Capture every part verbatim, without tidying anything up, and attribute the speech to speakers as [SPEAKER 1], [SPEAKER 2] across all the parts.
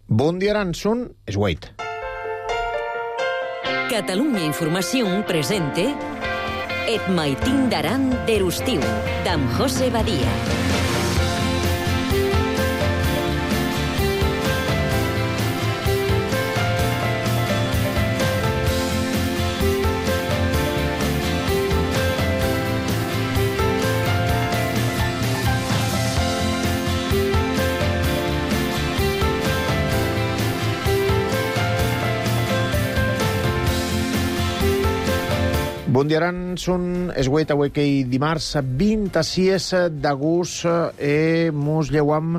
[SPEAKER 1] Bon dia, Aranson, és Wait.
[SPEAKER 2] Catalunya Informació presente Et maitin d'aran d'Erustiu, d'en José Badia.
[SPEAKER 1] Bon dia, Aranson, és Wait, avui que dimarts vint-i-sis d'agost e mos lleuam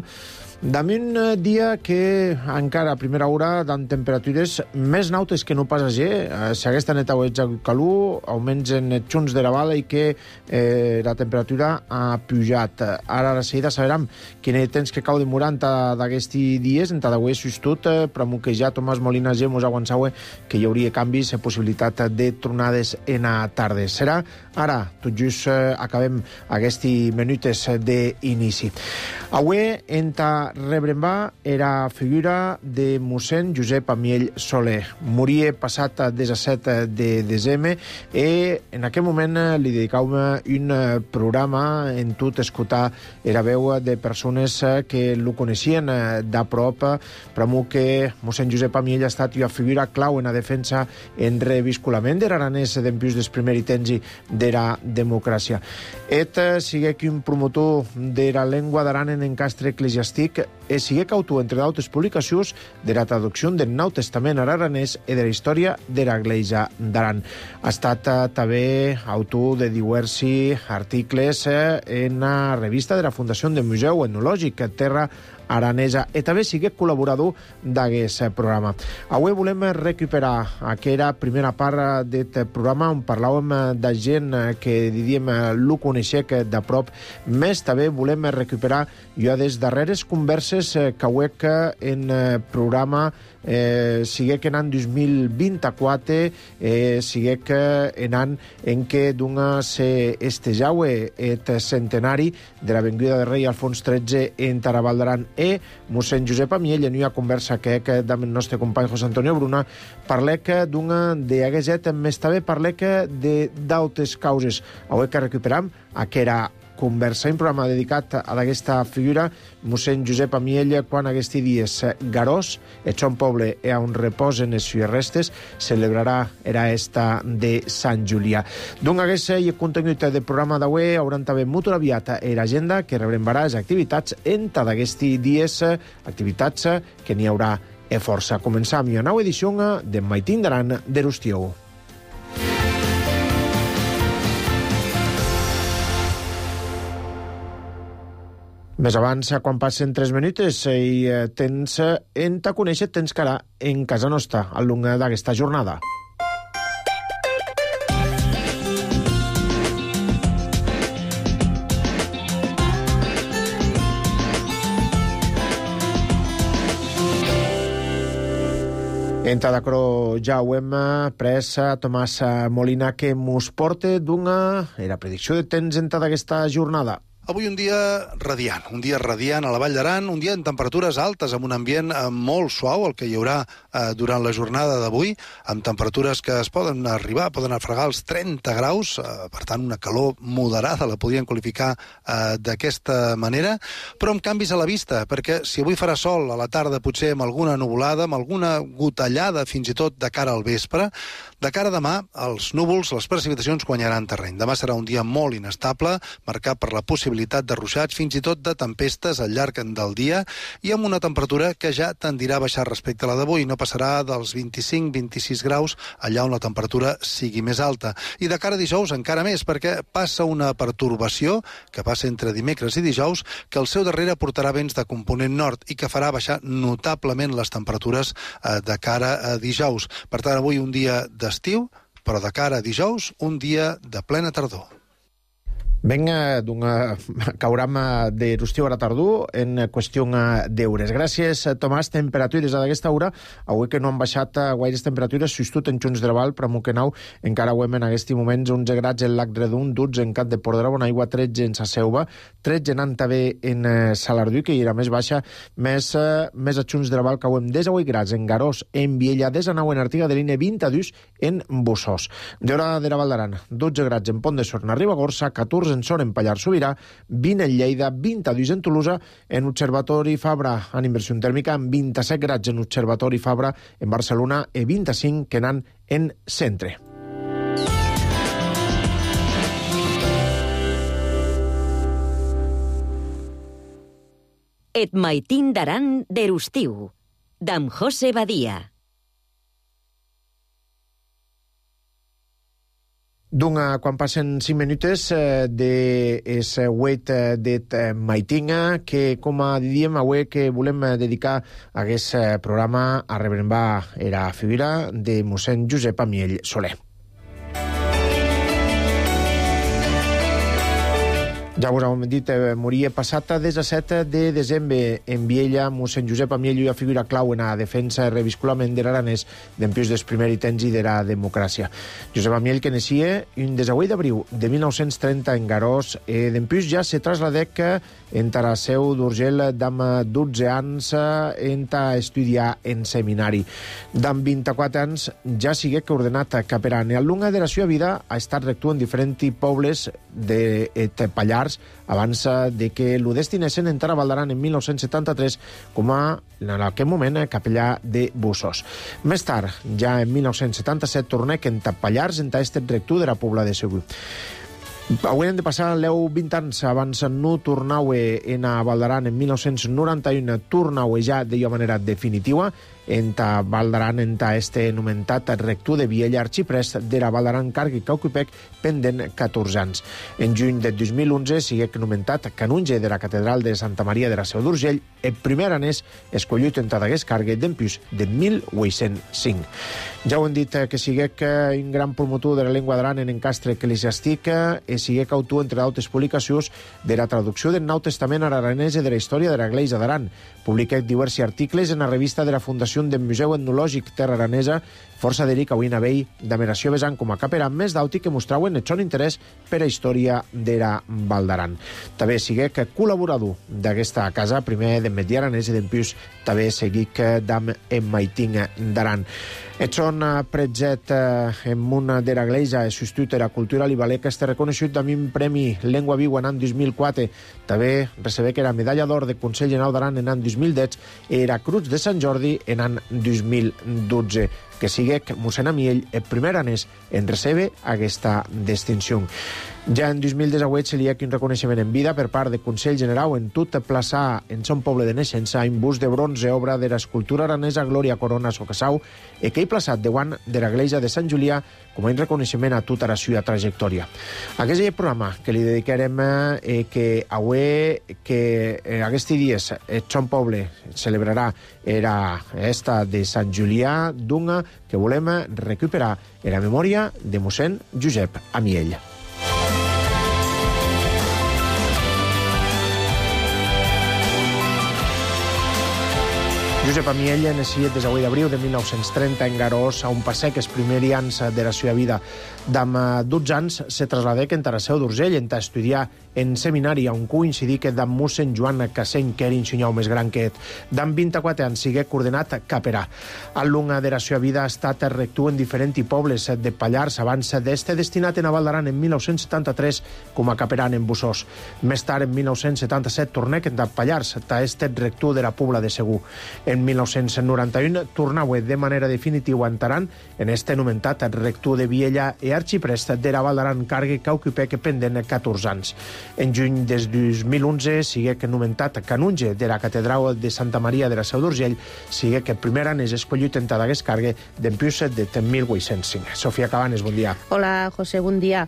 [SPEAKER 1] d'un dia que encara a primera hora dan temperatures més nautes que no pas ayer. Si aquesta neta ho ets calor, augments en xunts de la vala i que eh, la temperatura ha pujat. Ara a la seguida saberem quin temps que cau de noranta d'aquests dies, en d'avui sustot, però que ja Tomàs Molina ja mos aguançava que hi hauria canvis i possibilitat de tronades en a tardes. Serà ara, tot just eh, acabem aquests minutes d'inici. Avui, en ta rebrembar era figura de mossèn Josep Amiell Soler. Moria passat disset de desembre i en aquell moment li dedicàvem un programa en tot escoltar era veu de persones que lo coneixien de prop, però que mossèn Josep Amiell ha estat una figura clau en la defensa en revisculament de l'aranès dempius dels primers temps de la democràcia. Et sigue que un promotor de la llengua d'aran en encastre eclesiàstic e siguec autor, entre d'altres publicacions, de la traducció del Nou Testament a l'aranès i de la història de l'Església d'Aran. Ha estat eh, també autor de diversos articles eh, en la revista de la Fundació del Museu Etnològic Terra Aranesa i també sigué col·laborador d'aquest programa. Avui volem recuperar aquella primera part d'aquest programa on parlàvem de gent que, diríem, lo coneixec de prop. Més també volem recuperar jo des darreres converses que huec en programa eh, siguec en any dos mil vint-i-quatre, eh, siguec en any en què dona se estejaue et centenari de la venguda de rei Alfons tretze en Tarabal d'Aran e mossèn Josep Amiell en una conversa que que amb el nostre company José Antonio Bruna parlec d'una d'agueset, més també parlec de d'altres causes. Avui que recuperam aquella conversa, un programa dedicat a aquesta figura, mossèn Josep Amiell, quan aquests dies garós, el son poble e on reposen les sues restes, celebrarà era esta de Sant Julià. Doncs aquest i el contingut del programa d'avui hauran també molt aviat l'agenda que rebrembarà les activitats entre d'aquests dies, activitats que n'hi haurà e força. Començam una nova edició de Maitin d'Aran d'Erustiu. Més abans, quan passen tres minuts, i tens en ta conèixer, tens que ara en casa nostra, al llarg d'aquesta jornada. En Tadacro ja ho hem pres a Tomàs Molina que mos porta d'una era predicció de temps en d'aquesta jornada.
[SPEAKER 3] Avui un dia radiant, un dia radiant a la Vall d'Aran, un dia en temperatures altes, amb un ambient eh, molt suau, el que hi haurà eh, durant la jornada d'avui, amb temperatures que es poden arribar, poden afregar els trenta graus, eh, per tant una calor moderada, la podríem qualificar eh, d'aquesta manera, però amb canvis a la vista, perquè si avui farà sol a la tarda, potser amb alguna nuvolada, amb alguna gotellada fins i tot de cara al vespre, de cara a demà, els núvols, les precipitacions guanyaran terreny. Demà serà un dia molt inestable, marcat per la possibilitat de ruixats, fins i tot de tempestes al llarg del dia, i amb una temperatura que ja tendirà a baixar respecte a la d'avui. No passarà dels vint-i-cinc a vint-i-sis graus, allà on la temperatura sigui més alta. I de cara a dijous encara més, perquè passa una pertorbació que passa entre dimecres i dijous, que al seu darrere portarà vents de component nord i que farà baixar notablement les temperatures eh, de cara a dijous. Per tant, avui un dia d'estiu, però de cara a dijous, un dia de plena tardor.
[SPEAKER 1] Vinga, cauram de Rustiu ara tardú en qüestió d'eures. Gràcies, Tomàs. Temperatures a d'aquesta hora, avui que no han baixat gaires temperatures, substitut en Junts de Val, per Moquenau, encara ho hem en aquests moments onze grads en Lac Redun, dotze en Cat de Port de la Bonaigua, tretze en Saseuva, tretze en Antabé en Salardú, que hi era més baixa, més, més a Junts de Val, que ho hem disset grads en Garós, en Viella, desanau en Artiga de l'Ine, vint-i-dos en Bussós. D'hora de la Val d'Aran, dotze grads en Pont de Sorna, Ribagorça, catorze en Sort, en Pallars Sobirà, vint en Lleida, vint-i-dos en Tolosa, en Observatori Fabra, en inversió tèrmica, en vint-i-set grads en Observatori Fabra, en Barcelona, i vint-i-cinc que n'han en Centre.
[SPEAKER 2] Et maitin d'aran d'Erustiu, d'am José Badia.
[SPEAKER 1] Doncs, quan passen cinc minutes de es huet d'et maitinga, que, com diem, avui que volem dedicar a aquest programa a rebrembar la figura de mossèn Josep Amiell Soler. Ja us hem dit, eh, moria passat disset de desembre en Viella, mossèn Josep Amiell, una figura clau en la defensa i revisculament de l'aranès dempués dels primers temps i de la democràcia. Josep Amiell, que naixia un desahuit d'abril de mil nou-cents trenta en Garós, eh, dempués ja se trasladec en Taraseu d'Urgell d'am dotze anys en ta estudiar en seminari. D'am vint-i-quatre anys ja siguec ordenat caperan. Al longa de la seva vida ha estat rector en diferents pobles de Pallars abans de que lo destinessen a entrar a Val d'Aran en mil nou-cents setanta-tres com a, en aquell moment, capellà de Bussós. Més tard, ja en mil nou-cents setanta-set, tornec en Pallars, en este rector de la Pobla de Segur. Avui hem de passar l'eu vint anys abans no tornau en a Val d'Aran en mil nou-cents noranta-u, tornau ja de manera definitiva en ta Val d'Aran, en ta este nomentat rector de Viella, arxiprest de la Val d'Aran, Cargui Cauquipec, pendent catorze anys. En juny de dos mil onze siguec nomentat canonge de la catedral de Santa Maria de la Seu d'Urgell, el primer aranès escollit en ta d'aquest cargue d'empús de mil vuit-cents cinc. Ja ho hem dit que siguec un gran promotor de la llengua d'aran en encastre eclesiàstic i siguec autor, entre d'altres publicacions, de la traducció del Nou Testament aranès i de la història de l'Església d'Aran. Publiquec diversos articles en la revista de la Fundació del Museu Etnològic Terra Aranesa, força d'Eric avui navell d'Ameració Besan com a caperan més d'auti que mostrauen el son interès per a història de la Val d'Aran. També siguec col·laborador d'aquesta casa, primer de Metí Aranès i d'empús també seguic d'am en Maiting d'Aran. Et son pretzet en una de l'Església i substitut de la cultura libalec este reconegut amb un premi Llengua Viu en l'any dos mil quatre. També recebec era medalla d'or de Consell General d'Aran en l'any dos mil deu i era Cruz de Sant Jordi en l'any dos mil dotze. Que siguec mossèn Amiell el primer aranès en recebre aquesta distinció. Ja en dos mil disset se li ha un reconeixement en vida per part del Consell General en tot plaçar en son poble de naixença un bust de bronze, obra de l'escultura aranesa Glòria Corona Socassau, i que he plaçat davant de l'església de Sant Julià com a un reconeixement a tota la seva trajectòria. Aquest és el programa que li dedicarem eh, que avui, que eh, aquests dies el son poble celebrarà era esta de Sant Julià, d'una que volem recuperar en la memòria de mossèn Josep Amiell. Josep Amiell naixia el disset d'abril de mil nou-cents trenta en Garós, a un passec els primers anys de la seva vida. D'am dotze anys se trasladec en Taraseu d'Urgell en ta estudiar en seminari, on coincidí que d'am mossèn Joan Casseny, que era ensenyau més gran que et. D'am vint-i-quatre anys siguec ordenat caperà. Al long de la seva vida ha estat rector en diferents pobles de Pallars, abans d'este destinat en a Val d'Aran en mil nou-cents setanta-tres com a caperan en Bussós. Més tard, en mil nou-cents setanta-set, tornec en Pallars, ta estat rector de la Pobla de Segur. En mil nou-cents noranta-u tornau de manera definitiva en Taran en este nomentat rector de Viella i arxiprest de la Val d'Aran, Cargui Cauquipec, pendent catorze anys. En juny del dos mil onze siguec nomentat canonge de la catedral de Santa Maria de la Seu d'Urgell, siguec el primer anès escollit en d'aquest cargue d'empús de mil vuit-cents cinc. Sofia Cabanes, bon dia.
[SPEAKER 4] Hola, José, bon dia.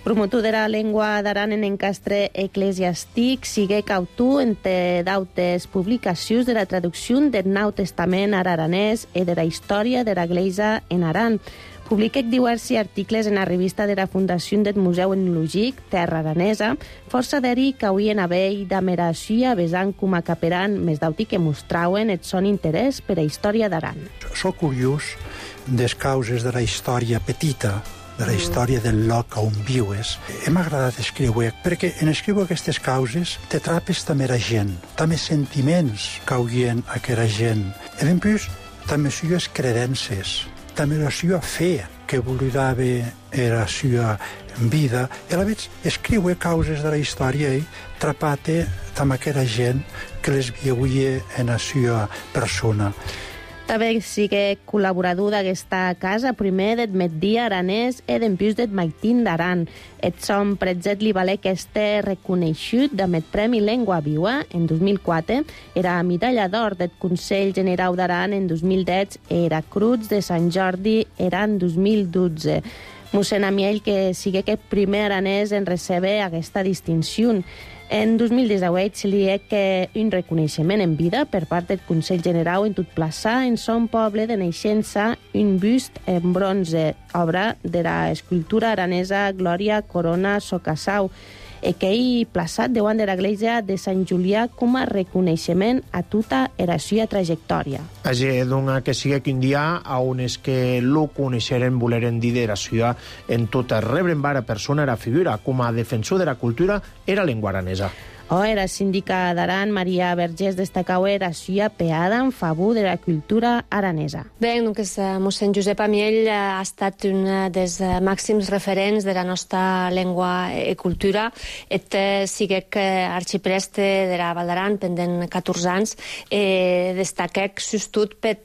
[SPEAKER 4] Promotor de la llengua d'aran en encastre eclesiàstic, siguec autor entre d'autes publicacions de la traducció del Nou Testament aranès i de la història de l'Església en Aran. Publiquèc diversi articles en la revista de la Fundació del Museu Etnologic Terra Aranesa, força d'eri que hauien haver d'amera suia besant com a caperan més d'auti que mostrauen et son interès per a història d'Aran.
[SPEAKER 5] Soc curiós des causes de la història petita, de la història del lloc on viues. M'ha agradat escriure, perquè en escriure aquestes causes te trapes també la gent, també sentiments que haurien aquella gent. I després, també sues credences, també la sua fe, que voludava era sua vida. I a la vegada escriure causes de la història i trapate també aquella gent que les viuia en la sua persona.
[SPEAKER 4] També sigue col·laborador d'aquesta casa, primer d'et Metdia Aranès e dempús d'et Maitin d'Aran. Et som pretzet li valé que este reconeixut d'Amet Premi Lengua Viua en dos mil quatre, era medalla d'or d'et Consell Generau d'Aran en dos mil deu e era Cruz de Sant Jordi era en dos mil dotze. Mossèn Amiell que sigue que primer aranès en recebre aquesta distinció. En dos mil disset se li hec un reconeixement en vida per part del Consell Generau en tot plaçar en son poble de naixença un bust en bronze, obra de la escultura aranesa Glòria Corona Socassau, e que hi plaçat davant de l'església de Sant Julià com a reconeixement a tota la seva trajectòria.
[SPEAKER 1] Així, doncs, que sigui que un dia a on és que lo coneixeren, voleren dir de la ciutat en tota rebren vara persona era figura com a defensor de la cultura era lengua aranesa.
[SPEAKER 4] O era síndica d'Aran, Maria Vergés, destacau era suia peada en favor de la cultura aranesa.
[SPEAKER 6] Bé, doncs, mossèn Josep Amiell ha estat un dels màxims referents de la nostra llengua i cultura. Et siguec arxipreste de la Val d'Aran pendent catorze anys e destaquec sustut per,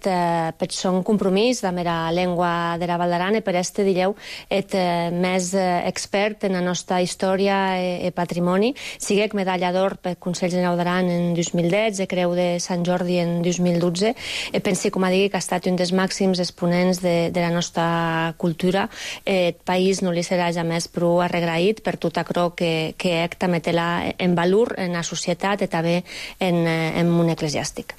[SPEAKER 6] per son compromís amb la llengua de la Val d'Aran e per este, direu, et més expert en la nostra història i patrimoni. Siguec medalla d'or pel Consell Generau d'Aran en dos mil deu, de Creu de Sant Jordi en dos mil dotze. E pensi, com a digui, que ha estat un dels màxims exponents de, de la nostra cultura. El país no li serà jamés prou arregraït per tot aquello que, que ec també té en valor en la societat i també en, en món eclesiàstic.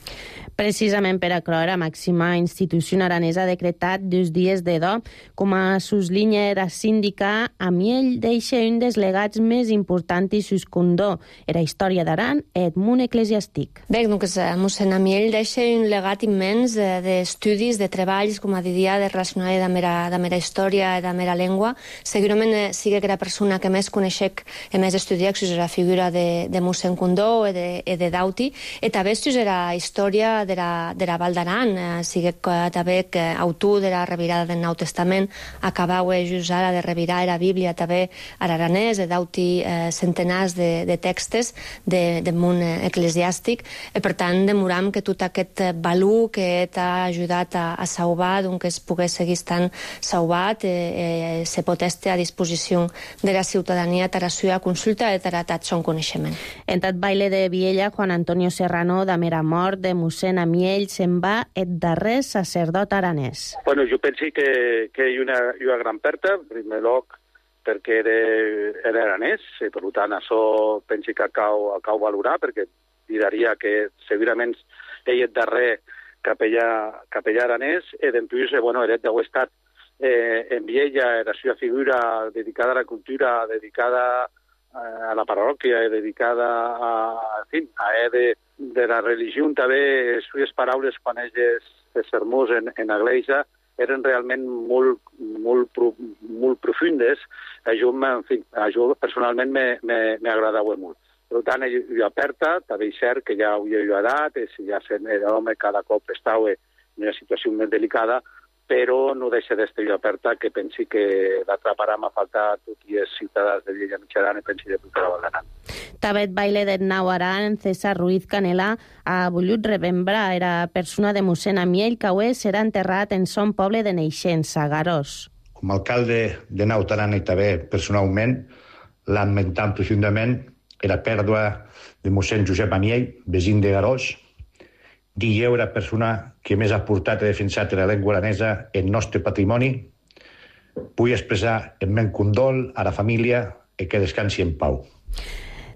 [SPEAKER 4] Precisament per acrò, la màxima institució aranesa ha decretat dos dies de do. Com a suslinya era síndica, Amiell deixa un dels legats més importants i suscondó, era història d'Aran i el món eclesiàstic.
[SPEAKER 6] Bé, doncs, mossèn Amiell deixa un legat immens d'estudis, de treballs, com a dia, de relacionar amb la història i amb la llengua. Segurament sigui que la persona que més coneixec i més estudiat és la figura de, de mossèn Condó i de, de Dauti, i també és la història de la, de la Val d'Aran, eh, sigui que també que autor de la revirada del Nou Testament acabau just ara de revirar la Bíblia també a l'aranès, e d'auti eh, centenars de, de textes de, de món eclesiàstic, i per tant demoram que tot aquest valor que t'ha ajudat a, a salvar, doncs que es pogués seguir estant salvat, eh, eh, se pot estar a disposició de la ciutadania per a la seva consulta i per a tot son coneixement.
[SPEAKER 4] En tot baile de Viella, Juan Antonio Serrano, de mera mort de mossèn Amiell, se'n va el darrer sacerdot aranès.
[SPEAKER 7] Bueno, jo penso que, que hi ha una, hi ha una gran perta, en primer lloc, perquè era, era aranès, i per tant això penso que cal, cal valorar, perquè diria que segurament ell és darrer capellà, capellà aranès, i després, bueno, era d'ho estat eh, en Viella, la seva figura dedicada a la cultura, dedicada a la parròquia, dedicada a, en fi, a de, de la religió, també les seves paraules quan elles els sermons en, en l'església eren realment molt, molt, molt profundes. Això, en fi, això personalment m'agradava molt. Per tant, jo aperta, també és cert que ja ho he edat, si ja l'home cada cop estava en una situació més delicada, però no deixa d'estar jo aperta, que pensi que l'altra part m'ha faltat tots els ciutadans de Viella Mitjaran i pensi de tota la Val d'Aran.
[SPEAKER 4] També el baile del Nou Aran, César Ruiz Canela, ha volgut remembrar era persona de mossèn Amiell, que avui serà enterrat en son poble de naixença, Garós.
[SPEAKER 8] Com a alcalde de Nou Aran i també personalment, lamentam profundament la pèrdua de mossèn Josep Amiell, vesin de Garós, Guilleu era la persona que més ha portat i defensat la llengua aranesa en el nostre patrimoni. Vull expressar el meu condol a la família i que descansi en pau.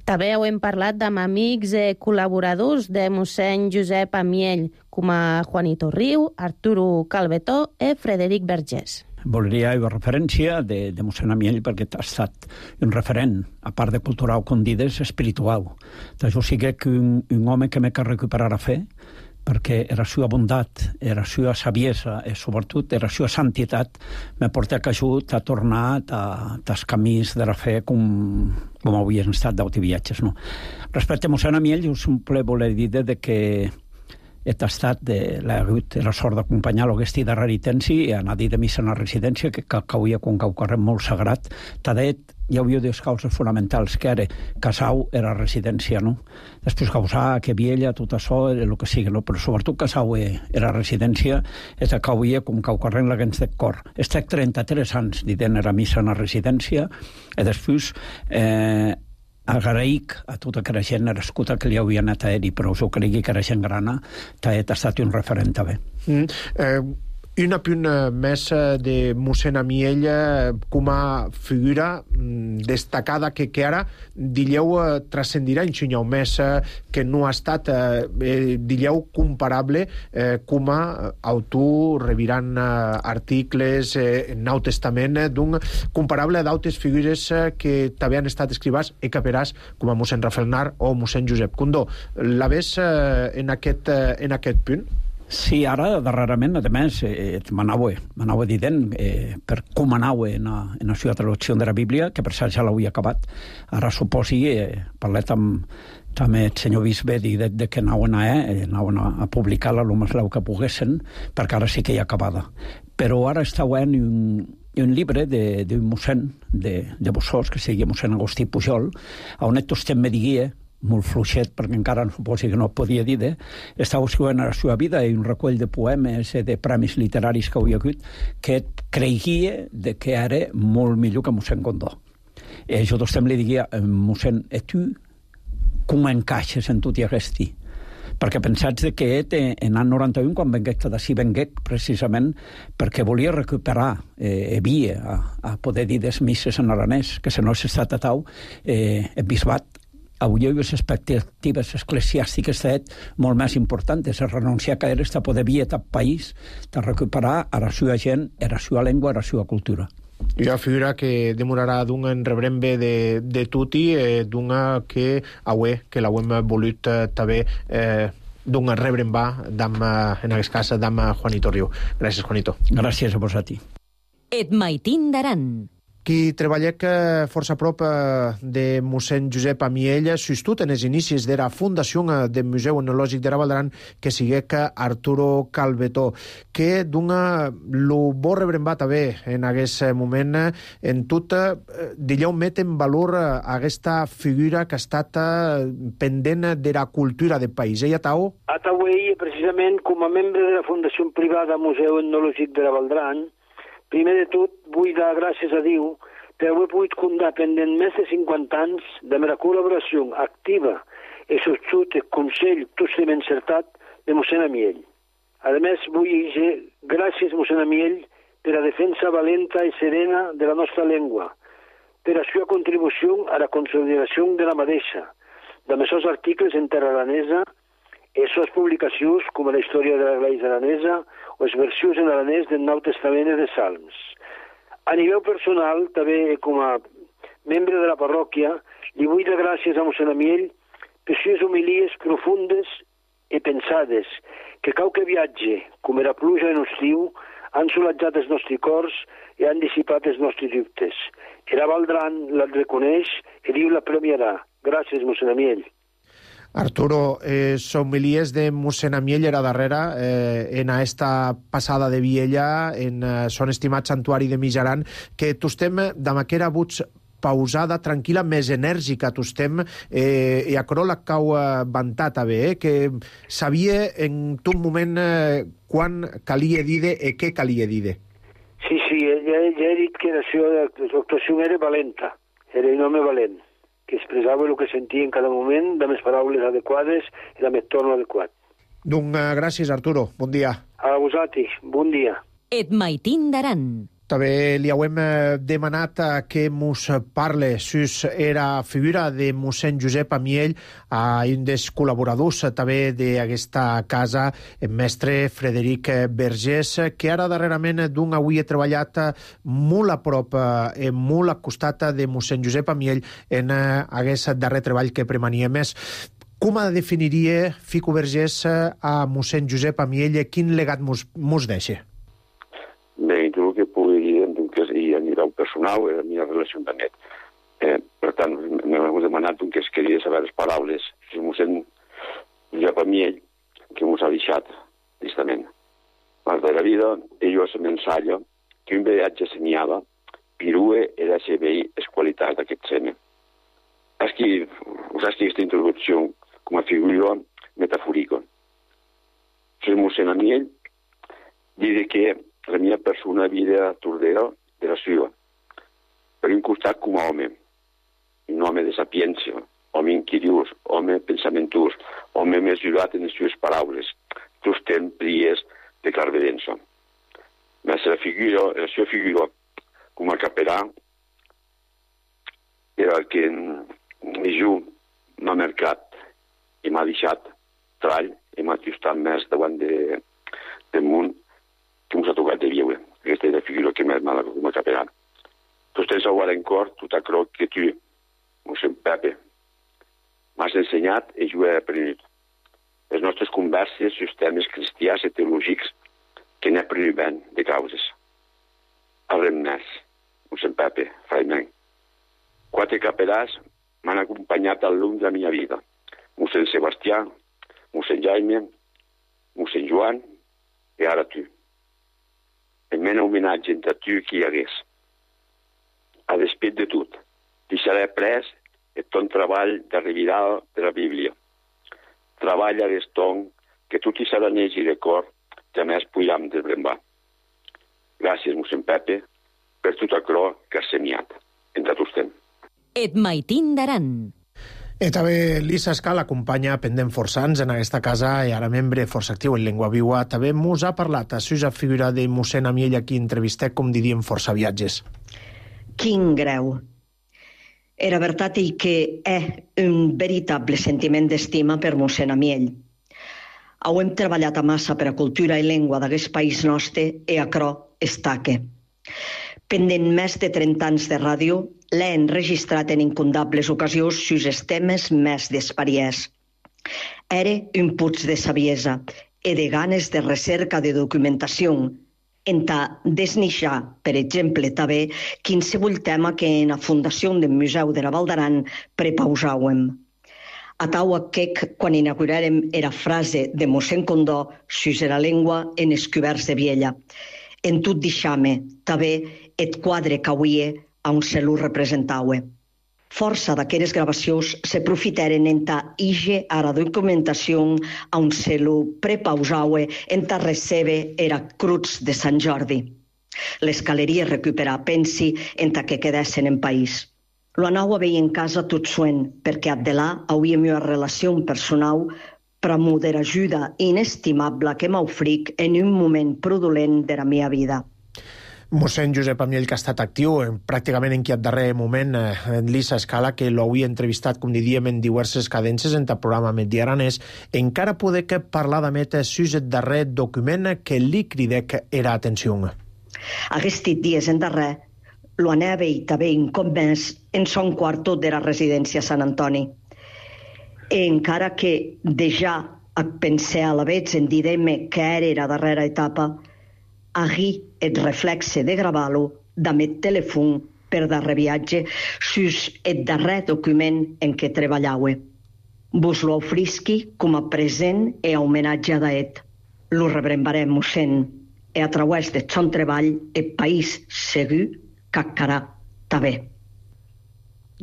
[SPEAKER 4] També heu parlat amb amics i col·laboradors de mossèn Josep Amiell, com a Juanito Riu, Arturo Calvetó i Frederic Vergés.
[SPEAKER 9] voldria fer referència de, de mossèn Amiell perquè ha estat un referent, a part de cultural, com dides, espiritual. Jo sí que un, un home que m'he que recuperar a fer, perquè era sua bondat, era sua saviesa i sobretot era sua santitat me porta que ajut a tornar als camins de la fe com, com havien estat d'auti viatges. No? Respecte a mossèn Amiell, jo sempre volia dir de que he estat de la sort d'acompanyar l'Augustí de Raritensi i anar a dir de missa en la residència, que cauia com cau carrer molt sagrat. Tadet hi havia dues causes fonamentals, que era Casau era residència, no? Després Causà, que Viella, tot això, el que sigui, no? Però sobretot Casau era residència, és que cauia com cau carrer en la gens de cor. Estic trenta-tres anys dient era missa en la residència, i després eh, agraïc a tota aquella gent nascuda que li havia anat a ell, però us ho cregui que era gent grana, que ha estat un referent també.
[SPEAKER 1] Mm, eh, una punt més de mossèn Amiell com a figura destacada que, que ara, dilleu, transcendirà en xinyau més, que no ha estat, eh, dilleu, comparable eh, com a autor, revirant eh, articles eh, en Nou Testament, eh, d'un comparable d'altres figures eh, que també han estat escrivats i caperàs, com a mossèn Rafael Nar o mossèn Josep Condó. La ves eh, en, aquest, eh, en aquest punt?
[SPEAKER 9] Sí, ara, darrerament, a més, eh, m'anava, m'anava dient eh, per com anava en, a, en la seva traducció de la Bíblia, que per cert ja l'havia acabat. Ara suposi, eh, parlet amb, també el senyor bisbe de, de que anaven, a, eh, anaven a, a publicar-la el més leu que poguessin, perquè ara sí que hi ha acabada. Però ara està en un, un llibre d'un mossèn de, de Bossós, que sigui mossèn Agustí Pujol, on et tostem me diguia, molt fluixet, perquè encara no suposi que no podia dir, eh? Estava escrivint a la seva vida i un recull de poemes i de premis literaris que havia hagut, que creguia de que era molt millor que mossèn Condó. I jo tostem li diguia, mossèn, e tu com encaixes en tot i aquest? Perquè pensats que en l'any noranta-un, quan venguec d'ací, venguec precisament perquè volia recuperar eh, via a, a poder dir des misses en aranès, que si no s'ha estat a tau, eh, el bisbat avui les expectatives eclesiàstiques són molt més importants, és renunciar a caer a poder via a país, de recuperar a la seva gent, a la seva llengua, a la seva cultura.
[SPEAKER 1] Hi ha figura que demorarà d'un en rebrem bé de, de tutti, eh, d'una que avui, que l'hem volut eh, també eh, d'un rebrem va, d'am, en aquest cas, d'am Juanito Riu. Gràcies, Juanito.
[SPEAKER 9] Gràcies a vos a ti.
[SPEAKER 2] Et maitin d'aran.
[SPEAKER 1] Qui treballec força a prop de mossèn Josep Amiell, sostut en els inicis de la fundació del Museu Etnològic de la Val d'Aran, que siguec Arturo Calvetó, que dona lo bo rebrembat també en aquest moment, en tot, dilleu, met en valor aquesta figura que ha estat pendent de la cultura del país. Eh, Atau?
[SPEAKER 10] Atau, precisament, com a membre de la Fundació Privada Museu Etnològic de la Val d'Aran, primer de tot, vull dar gràcies a Déu per haver pogut comptar pendent més de cinquanta anys de la col·laboració activa i sostut el Consell totalment encertat de mossèn Amiell. A més, vull dir gràcies, mossèn Amiell, per la defensa valenta i serena de la nostra llengua, per la seva contribució a la consolidació de la mateixa, de els seus articles en terra aranesa, i les seves publicacions, com la història de l'Església aranesa o les versions en aranès del Nou Testament i de Salms. A nivell personal, també com a membre de la parròquia, li vull dar gràcies a mossèn Amiell per les homilies profundes i pensades, que cau que viatge, com era pluja en estiu, han solatjat els nostres cors i han dissipat els nostres dubtes. I la Val d'Aran la reconeix i Déu la premiarà. Gràcies, mossèn Amiell.
[SPEAKER 1] Arturo, eh, somilies de mossèn Amiell era darrere eh, en esta passada de Viella, en eh, son estimat santuari de Mijaran, que tostem de maquera buts pausada, tranquil·la, més enèrgica, tostem, eh, i a Corola cau vantat a bé, eh, que sabia en tot moment eh, quan calia dir i què calia dir.
[SPEAKER 10] Sí, sí, ja, ja he dit que la seva actuació era valenta, era un home valent, que expressava el que sentia en cada moment, amb les paraules adequades i amb el torn adequat.
[SPEAKER 1] Doncs gràcies, Arturo. Bon dia.
[SPEAKER 10] A vosaltres. Bon dia.
[SPEAKER 2] Et maitin d'aran.
[SPEAKER 1] També li hauem demanat que mos parle sus era figura de mossèn Josep Amiell, a un dels col·laboradors també d'aquesta casa, el mestre Frederic Vergés, que ara darrerament d'un avui he treballat molt a prop, molt al costat de mossèn Josep Amiell en aquest darrer treball que premania més. Com definiria Fico Vergés a mossèn Josep Amiell? Quin legat mos, mos deixa?
[SPEAKER 11] Bé, jo el que puc dir és que a nivell personal, a mi relació amb net. Eh, per tant, m'heu demanat que es queria saber les paraules. Si mossèn Josep Amiell, que mos ha deixat, tristament. Mas de la vida, ell se m'ensalla que un viatge senyava, pirue era se veir les qualitats d'aquest seme. Aquí, usar aquesta introducció com a figura metafòrica. Si mossèn Amiell diu que la meva persona vida tordera de la seva. Per un costat com a home, un home de sapiència, home inquiriós, home pensamentus, home mesurat en les seves paraules, sostén pries de clarividença. Mas la figura, la seva figura com a capellà era el que jo m'ha marcat i m'ha deixat trall i m'ha ajustat més davant de, del món que ens ha tocat de viure. Aquesta és la figura que m'ha mal com a capellà. Tu tens a en cor tot allò que tu, mossèn Pepe, m'has ensenyat i jo he aprenut. Les nostres converses sobre temes cristians i teològics que n'he aprenut ben de causes. Arrem més, mossèn Pepe, fraiment. Quatre capellars m'han acompanyat al llarg de la meva vida. Mossèn Sebastià, mossèn Jaime, mossèn Joan i ara tu. El meu homenatge entre tu que hi hagués. A despit de tot, deixaré pres el ton treball de revirar de la Bíblia. Treball a l'eston que tot i serà neix i de cor, jamais podem desbrembar. Gràcies, mossèn Pepe, per tot allò que has senyat. Entre tots temps.
[SPEAKER 2] Et maitin d'aran.
[SPEAKER 1] I també Lisa Escal acompanya pendent força anys en aquesta casa i ara membre força actiu en Llengua Viva. També mos ha parlat a la figura de mossèn Amiell, a qui entrevisté, com diríem, força viatges.
[SPEAKER 12] Quin greu. Era veritat que è un veritable sentiment d'estima per mossèn Amiell. Hem treballat a massa per a cultura i llengua d'aquest país nostre i acrò estaque. Pendent més de trenta anys de ràdio, l'he enregistrat en incontables ocasions sus els temes més d'espariès. Era un puig de saviesa i de ganes de recerca de documentació, entà desnixar, per exemple, també, qualsevol tema que en la Fundació del Museu de la Val d'Aran prepausàvem. A tau aquec, quan inauguràrem era frase de mossèn Condó sus la llengua en els coberts de Viella. En tot deixame, també, et quadre que avui on se lo representaue. Força d'aquestes gravacions s'aprofitaren entà ige a la documentació on se lo prepausaue entà recebe era Cruz de Sant Jordi. Les caleries recuperar pensi entà que quedessin en país. Lo anau a veir en casa tot suent, perquè ad de là hauria una relació personal pramo de l'ajuda inestimable que m'ofric en un moment produlent de la meva vida.
[SPEAKER 1] Mossèn Josep Amiell, que ha estat actiu en, pràcticament en aquest darrer moment, en Lisa Escala, que l'havia entrevistat, com diríem, en diverses cadències en el programa Medi Aranès, encara poder que parlar d'emet sus el darrer document que li cridec era atenció.
[SPEAKER 12] Aquests dies en darrer lo anava a veure també un cop més en son quarto de la residència Sant Antoni. I encara que déjà pensé a la vez en dir-me que era la darrera etapa, ahir el reflexe de gravar-lo d'amet telèfon per darrer viatge sus el darrer document en què treballaue. Vos lo ofrisqui com a present i a homenatge d'aet. Lo rebrembarem, mossèn, i a través de son treball el país segur cacarà també.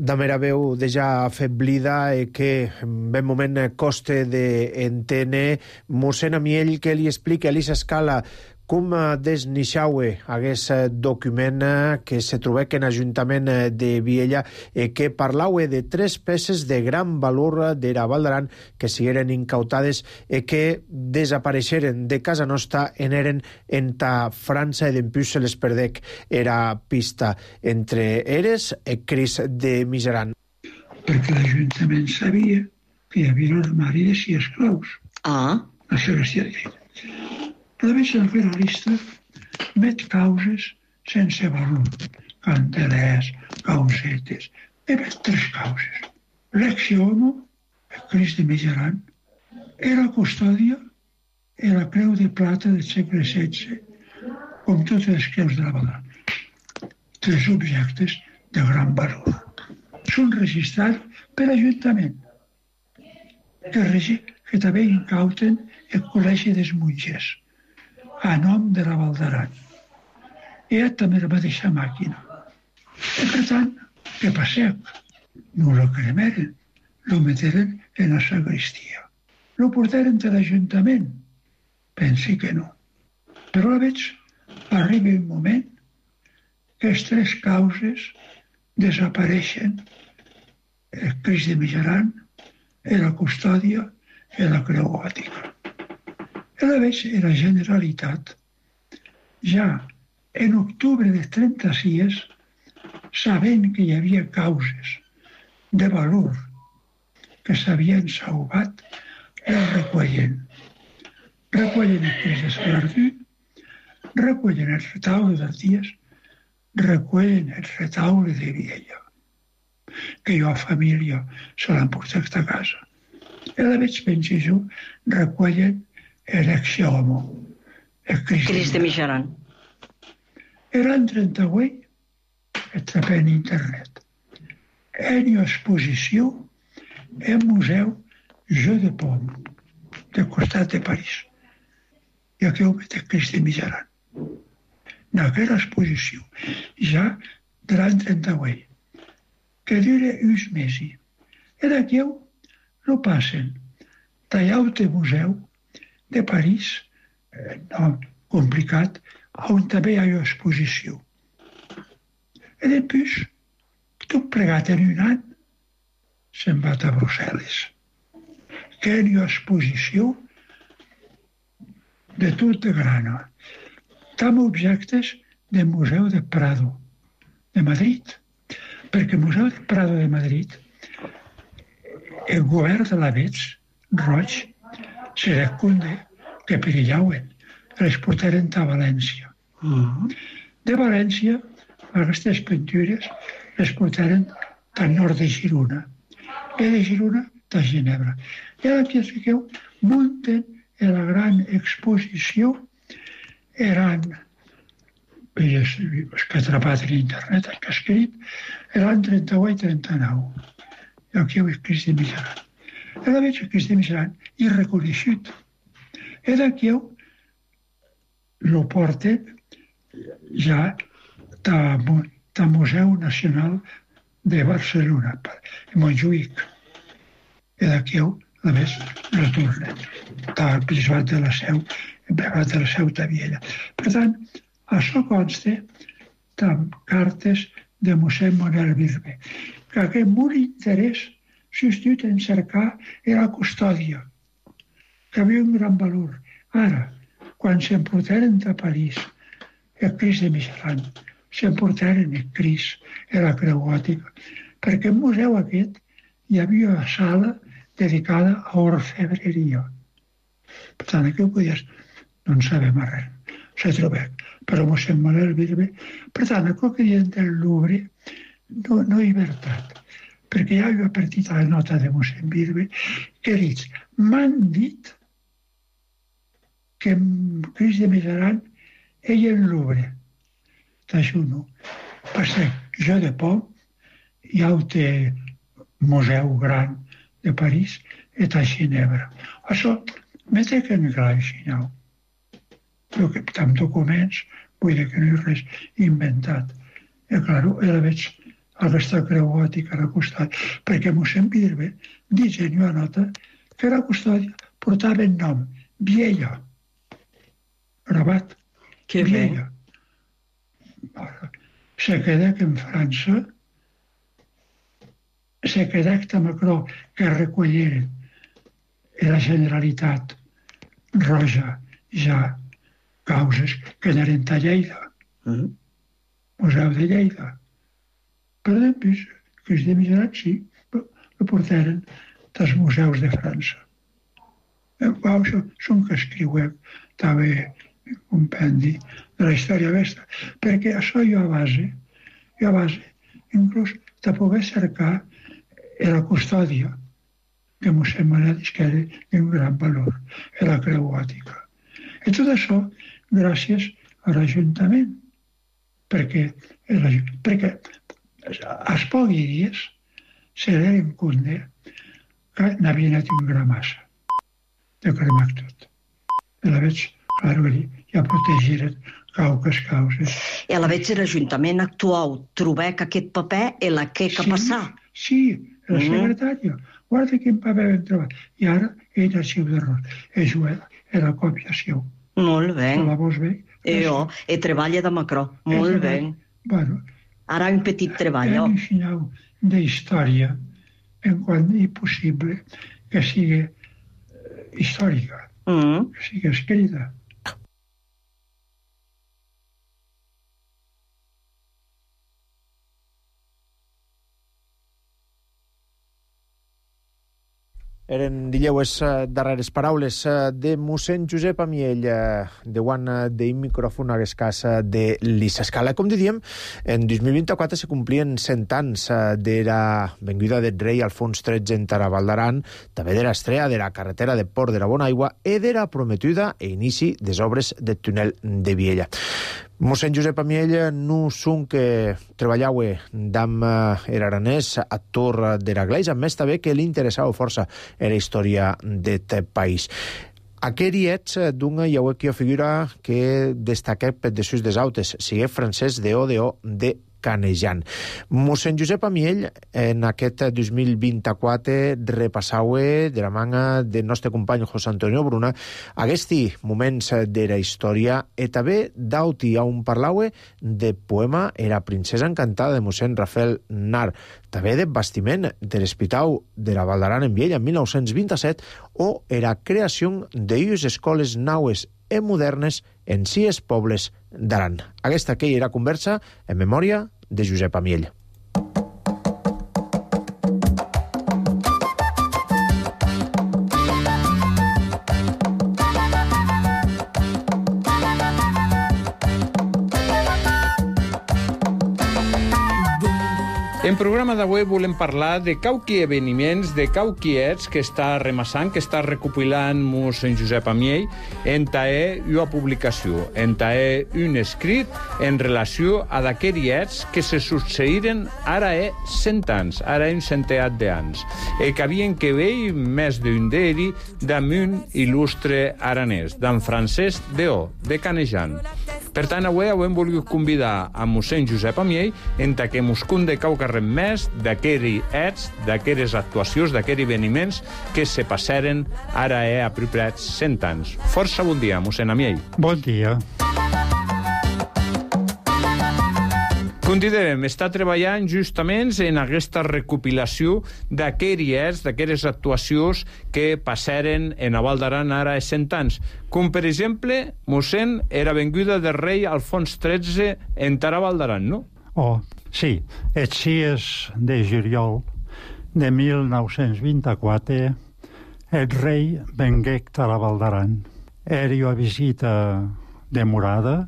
[SPEAKER 1] De mera veu deja afeblida i que en ben moment coste d'entendre mossèn Amiell, que li explica a Lisa Escala com desnixaue aguest document que se trobèc en Ajuntament de Viella e que parlaue de tres peces de gran valor d'era Val d'Aran que sigueren incautades e que desapareixeren de casa nostra en eren enta França e dempús se les perdec era pista entre eres e Cris de Miseran.
[SPEAKER 13] Perquè l'Ajuntament sabia que hi havia l'armari de sis esclaus.
[SPEAKER 12] Ah.
[SPEAKER 13] La sagristia de Lleida. La veig al fer la lista, met causes sense valor. Candelers, causetes. He met tres causes. L'ex homo, Cris de Miseran, era custòdia i la creu de plata del segle setze, com totes les creus de la Val d'Aran. Tres objectes de gran valor. Són registrats per l'Ajuntament, que, regi, que també incauten el Col·legi dels Monges, a nom de la Val d'Aran. Hi ha també la mateixa màquina. I per tant, què passeu? No lo cremeren, lo meteren en la sagristia. Lo portaren a l'Ajuntament? Pensi que no. Però la veig, arriba un moment que les tres causes desapareixen, el Cris de Miseran, la custòdia i la creu gòtica. I la veig en la Generalitat, ja en octubre de trenta-sis, sabent que hi havia causes de valor que s'havien salvat, el recollen. Recollen el Cris de Salardú, recollen el retaule d'Arties, recollen el retaule de Viella, que jo a família se l'han portat a casa. I la veig, pensi jo, recollen l'ex homo, el Cris,
[SPEAKER 12] Cris de Miseran.
[SPEAKER 13] Era en trenta-vuit, atrapé en internet. En exposició al Museu Jeu de Paume, del costat de París. I aquí ho met el Cris de Miseran. En aquella exposició, ja de l'any trenta-vuit, que dura uns mesos. I d'aquí no passen tallau de museu de París, eh, no, complicat, on també hi ha una exposició. I després, tot plegat en un any, se'n va a Brussel·les. Que hi ha una exposició de tot de grana. També objectes del Museu de Prado, de Madrid. Perquè el Museu de Prado de Madrid, el govern de l'Avets, Roig, se recunde que perillauen, les portaren a València. De València, aquestes pintures les portaren al nord de Girona. I de Girona a Ginebra. I ara aquí, fiqueu, munten la gran exposició. Eren, és que he atrapat en internet, el que ha escrit, eren trenta-vuit i trenta-nou. I aquí ho és Cris de Miseran. I la veig el Cris de Miseran i reconeixut. I d'aquí lo porten ja al Museu Nacional de Barcelona, a Montjuïc. I d'aquí la més retornen. Al Bisbat de la Seu, Bisbat de la Seu de Viella. Per tant, això consta amb cartes de mossèn Manuel Birbe, que aquest molt interès substituït en cercar era la custòdia, que havia un gran valor. Ara, quan s'emportaren a París el Cris de Miseran, s'emportaren el Cris i la creu gòtica, perquè al museu aquest hi havia una sala dedicada a orfebreria. Per tant, aquí ho podies, no en sabem res, s'ha trobat, però mossèn Manuel Birbe. Per tant, el que diuen del Louvre no, no hi ha veritat, perquè ja hi ha partit a la nota de mossèn Birbe que ha dit, m'han dit que Cris de Miseran ell en Louvre. D'això no. Perquè jo de Pau hi ha un museu gran de París i a Ginebra. Això m'he de que no hi ha Xinau. Però que amb documents vull dir que no hi ha res inventat. I clar, ara veig aquesta creu gòtica a la custòdia, perquè mossèn Birbe dice en una nota que la custòdia portava el nom Viella, gravat
[SPEAKER 12] Que bé.
[SPEAKER 13] Se quedà en França, se quedà a Macron que recolleren la Generalitat Roja ja causes que eren a Lleida, mm. Museu de Lleida. Per després, que els de migrats sí, lo portaren dels museus de França. Això són que escriuem també un compendi de la història vesta, perquè això jo a base, jo a base, inclús de poder cercar la custòdia que mossèn Manel que era d'un gran valor, la creu gòtica. I tot això gràcies a l'Ajuntament, perquè, perquè als pocs dies se l'eren compte que n'havia anat un gran massa de cremar tot. I la veig, clar, ja protegiren cauques causes.
[SPEAKER 12] I a la veig l'Ajuntament actual trobà que aquest paper és la que que passar.
[SPEAKER 13] Sí, la secretària. Guarda quin paper vam trobar. I ara ell el seu d'error. És la còpia seu.
[SPEAKER 12] Molt bé.
[SPEAKER 13] La vols bé?
[SPEAKER 12] I jo, he treballa de Macron. Molt bé.
[SPEAKER 13] Bueno.
[SPEAKER 12] Ara un petit treball.
[SPEAKER 13] Hem ensenyat d'història en quan és possible que sigui històrica, que sigui escrita.
[SPEAKER 1] Eren, dilleu, les darreres paraules de mossèn Josep Amiell, de quan de micròfon a l'escàs de l'Isescala. Com diguem, en dos mil vint-i-quatre se complien cent anys de la venguda del rei Alfons tretze en Taraval d'Aran, també de l'estrella de la carretera de Port de la Bonaigua i de la prometuda e inici des obres del túnel de Viella. Mossèn Josep Amiell no són que treballava amb l'aranès a Tor de la Gleis, a més també que li interessava força la història d'aquest país. Aqueri ets d'una iauequia figura que destaqué per de sus des autes, sigue Francesc de Odeo de Canejan. Mossèn Josep Amiell, en aquest dos mil vint-i-quatre, repassava de la manga del nostre company José Antonio Bruna aquests moments de la història i també d'auti on parlava de poema Era princesa encantada de mossèn Rafael Nar, també de bastiment de l'Hospital de la Val d'Aran en Viella en mil nou-cents vint-i-set o era creació d'unes escoles naues i modernes en sis pobles d'Aran. Aquesta que era conversa en memòria de Josep Amiell.
[SPEAKER 14] En programa d'avui volem parlar de cauqui eveniments, de cauquiets que està remassant, que està recopilant mossèn Josep Amiell en tae una publicació, en tae un escrit en relació a d'aquests que se succeiren ara e cent anys, ara un centeat d'anys, e que havien que veure més d'un d'eri d'un il·lustre aranès, d'en Francesc d'O, de Canejan. Per tant, avui hem volgut convidar a mossèn Josep Amiell en que mos conde cauca més d'aquests ets, d'aquestes actuacions, d'aquests eveniments que se passaren ara eh, a propers cent anys. Força bon dia, mossèn Amiell.
[SPEAKER 5] Bon dia.
[SPEAKER 14] Continuem, està treballant justament en aquesta recopilació d'aquests ets, d'aquestes actuacions que passaren en la Val d'Aran ara a cent anys. Com, per exemple, mossèn, era venguda del rei Alfons tretze en Taraval d'Aran, no?
[SPEAKER 5] Oh, sí. Els sis de juliol de mil nou-cents vint-i-quatre el rei venguec a la Val d'Aran. Era una visita demorada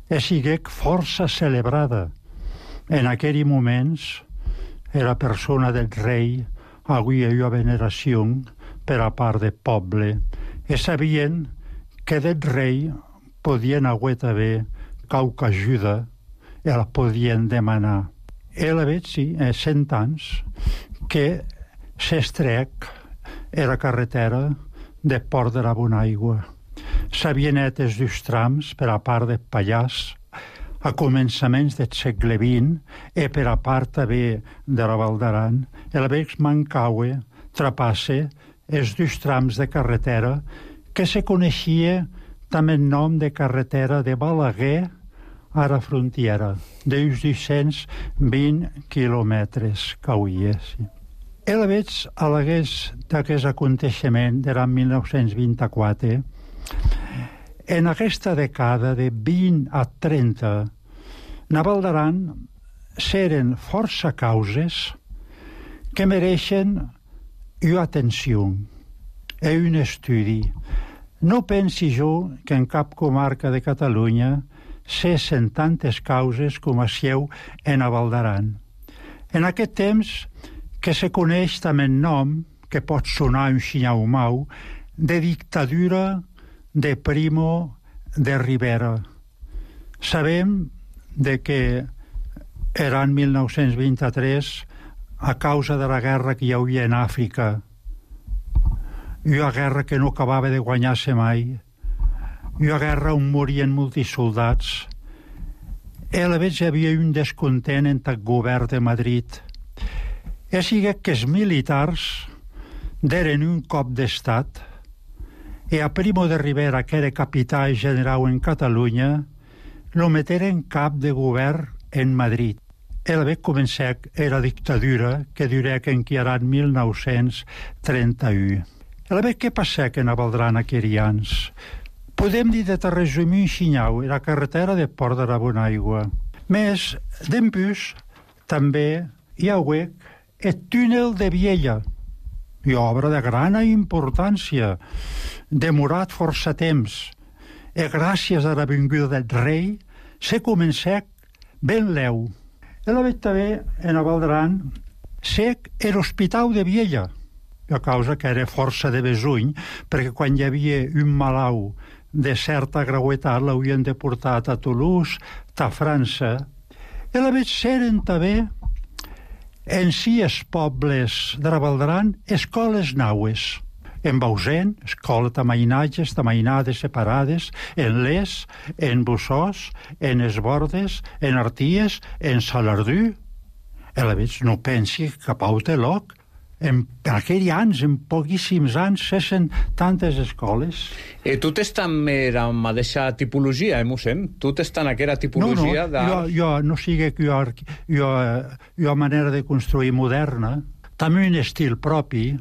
[SPEAKER 5] i siguec força celebrada. En aquells moments, la persona del rei havia una veneració per a part del poble i sabien que del rei podien haver també qualque ajuda i la podien demanar. I la veig, sí, a cent anys, que s'estrec a la carretera de Port de la Bonaigua. S'havien net els dos trams per a part del Pallars a començaments del segle vint i per a part també de la Val d'Aran. I la veig mancava, trapasse els dos trams de carretera que se coneixia també el nom de carretera de Balaguer a la frontiera, d'uns dos-cents vint quilòmetres que hi és. El veig a l'aguest d'aquest aconteixement de l'any mil nou-cents vint-i-quatre. En aquesta dècada de vint a trenta, a Val d'Aran seren força causes que mereixen una atenció i un estudi. No pensi jo que en cap comarca de Catalunya cessen tantes causes com a seu en a Val d'Aran. En aquest temps que se coneix també el nom, que pot sonar un xinyau-mau, de dictadura de Primo de Rivera. Sabem de que era en mil nou-cents vint-i-tres a causa de la guerra que hi havia en Àfrica, una guerra que no acabava de guanyar-se mai, una guerra on morien molts soldats. A la vegada hi havia un descontent entre el govern de Madrid. És que els militars deren un cop d'estat i a Primo de Rivera, que era capità general en Catalunya, lo meteren cap de govern en Madrid. El ve començar era dictadura que durà que enquiarà en mil nou-cents trenta-u. El ve què passa que a Val d'Aran aquells anys? Podem dir de te resumir un xinyau, la carretera de Port de la Bonaigua. Més, d'empús, també hi ha el túnel de Viella, i obra de gran importància, demorat força temps, i gràcies a l'avinguda del rei, se començà ben leu. El veig també en a Val d'Aran sec l'hospital de Viella, a causa que era força de besuny, perquè quan hi havia un malau de certa gravetat l'havien de portar a Toulouse, a França. El veig seren també en si els pobles de la Val d'Aran escoles naues. En Bausen, escola de mainatges, de mainades separades, en Les, en Bussós, en Esbordes, en Arties, en Salardú. A la vegada no pensi que a Pau de Loc, en aquells anys, en poquíssims anys, cessen tantes escoles.
[SPEAKER 14] E tu t'es també en la mateixa tipologia, eh, mossèn? Tu t'es en aquella tipologia
[SPEAKER 5] de... No, no, jo, jo no sigui que jo, jo, jo manera de construir moderna, també un estil propi.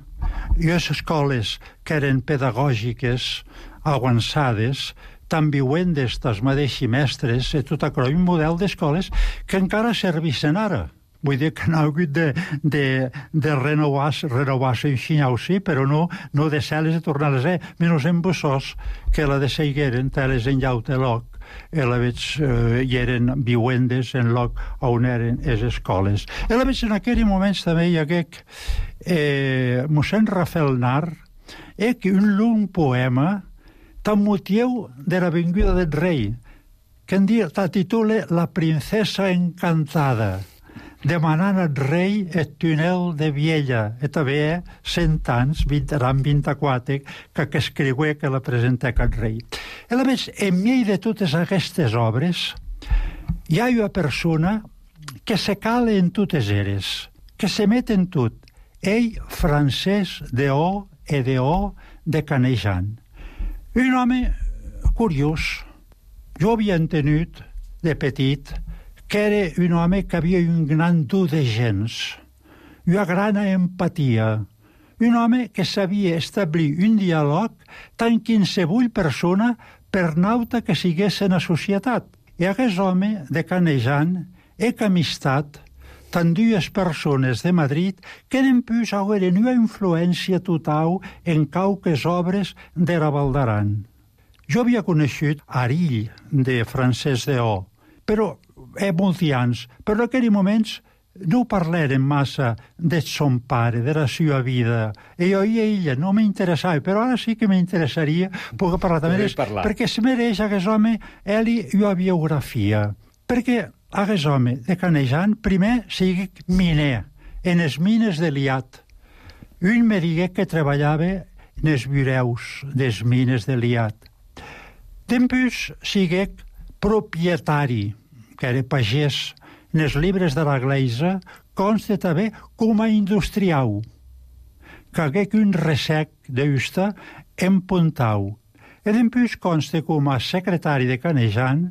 [SPEAKER 5] Jo les escoles que eren pedagògiques, avançades, tan viuendes dels mateixos mestres, i tot això, un model d'escoles que encara servissin ara. Vull dir que n'ha hagut de, de, de renovar-se renovar en xinyau, sí, però no, no de ser-les i tornar-les a ser. Menys en Bussós, que la de Segueren, teles en Llauteloc, i la veig, eh, i eren viuendes en lloc on eren les escoles. I la veig en aquells moments també hi hagué eh, mossèn Rafael Nar, eh, que un long poema tan motiu de la vinguda del rei, que en dia titula La princesa encantada, demanant al rei el túnel de Viella, i també cent anys, eren vint-i-quatre, que, que escriué que la presenté al rei. I a més, en mig de totes aquestes obres, hi ha una persona que se cala en totes eres, que se met en tot. Ell, Francesc de O i de O de Canejan. Un home curiós. Jo havia entenut, de petit, que era un home que havia un gran dur de gens, una gran empatia, un home que sabia establir un diàleg tant qualsevol persona per nauta que sigués en la societat. I aquest home de Canejan és amistat tant dues persones de Madrid que d'empús hagueren una influència total en cauques obres de la Val d'Aran. Jo havia conegut Arill, de Francesc de O, però eh, molts anys, però en aquells moments no parlàrem massa de son pare, de la seva vida. I jo i ella no m'interessava, però ara sí que m'interessaria poder parlar també, parlar. Perquè es mereix aquest home ell una biografia. Perquè aquest home de Canejan primer sigui miner, en les mines de Liat. Un me digué que treballava en els bureus des mines de Liat. Després sigui propietari, que era pagès. En els llibres de la Gleisa consta també com a industrial, que hagué un ressec d'usta en Pontau. E dempús consta com a secretari de Canejan,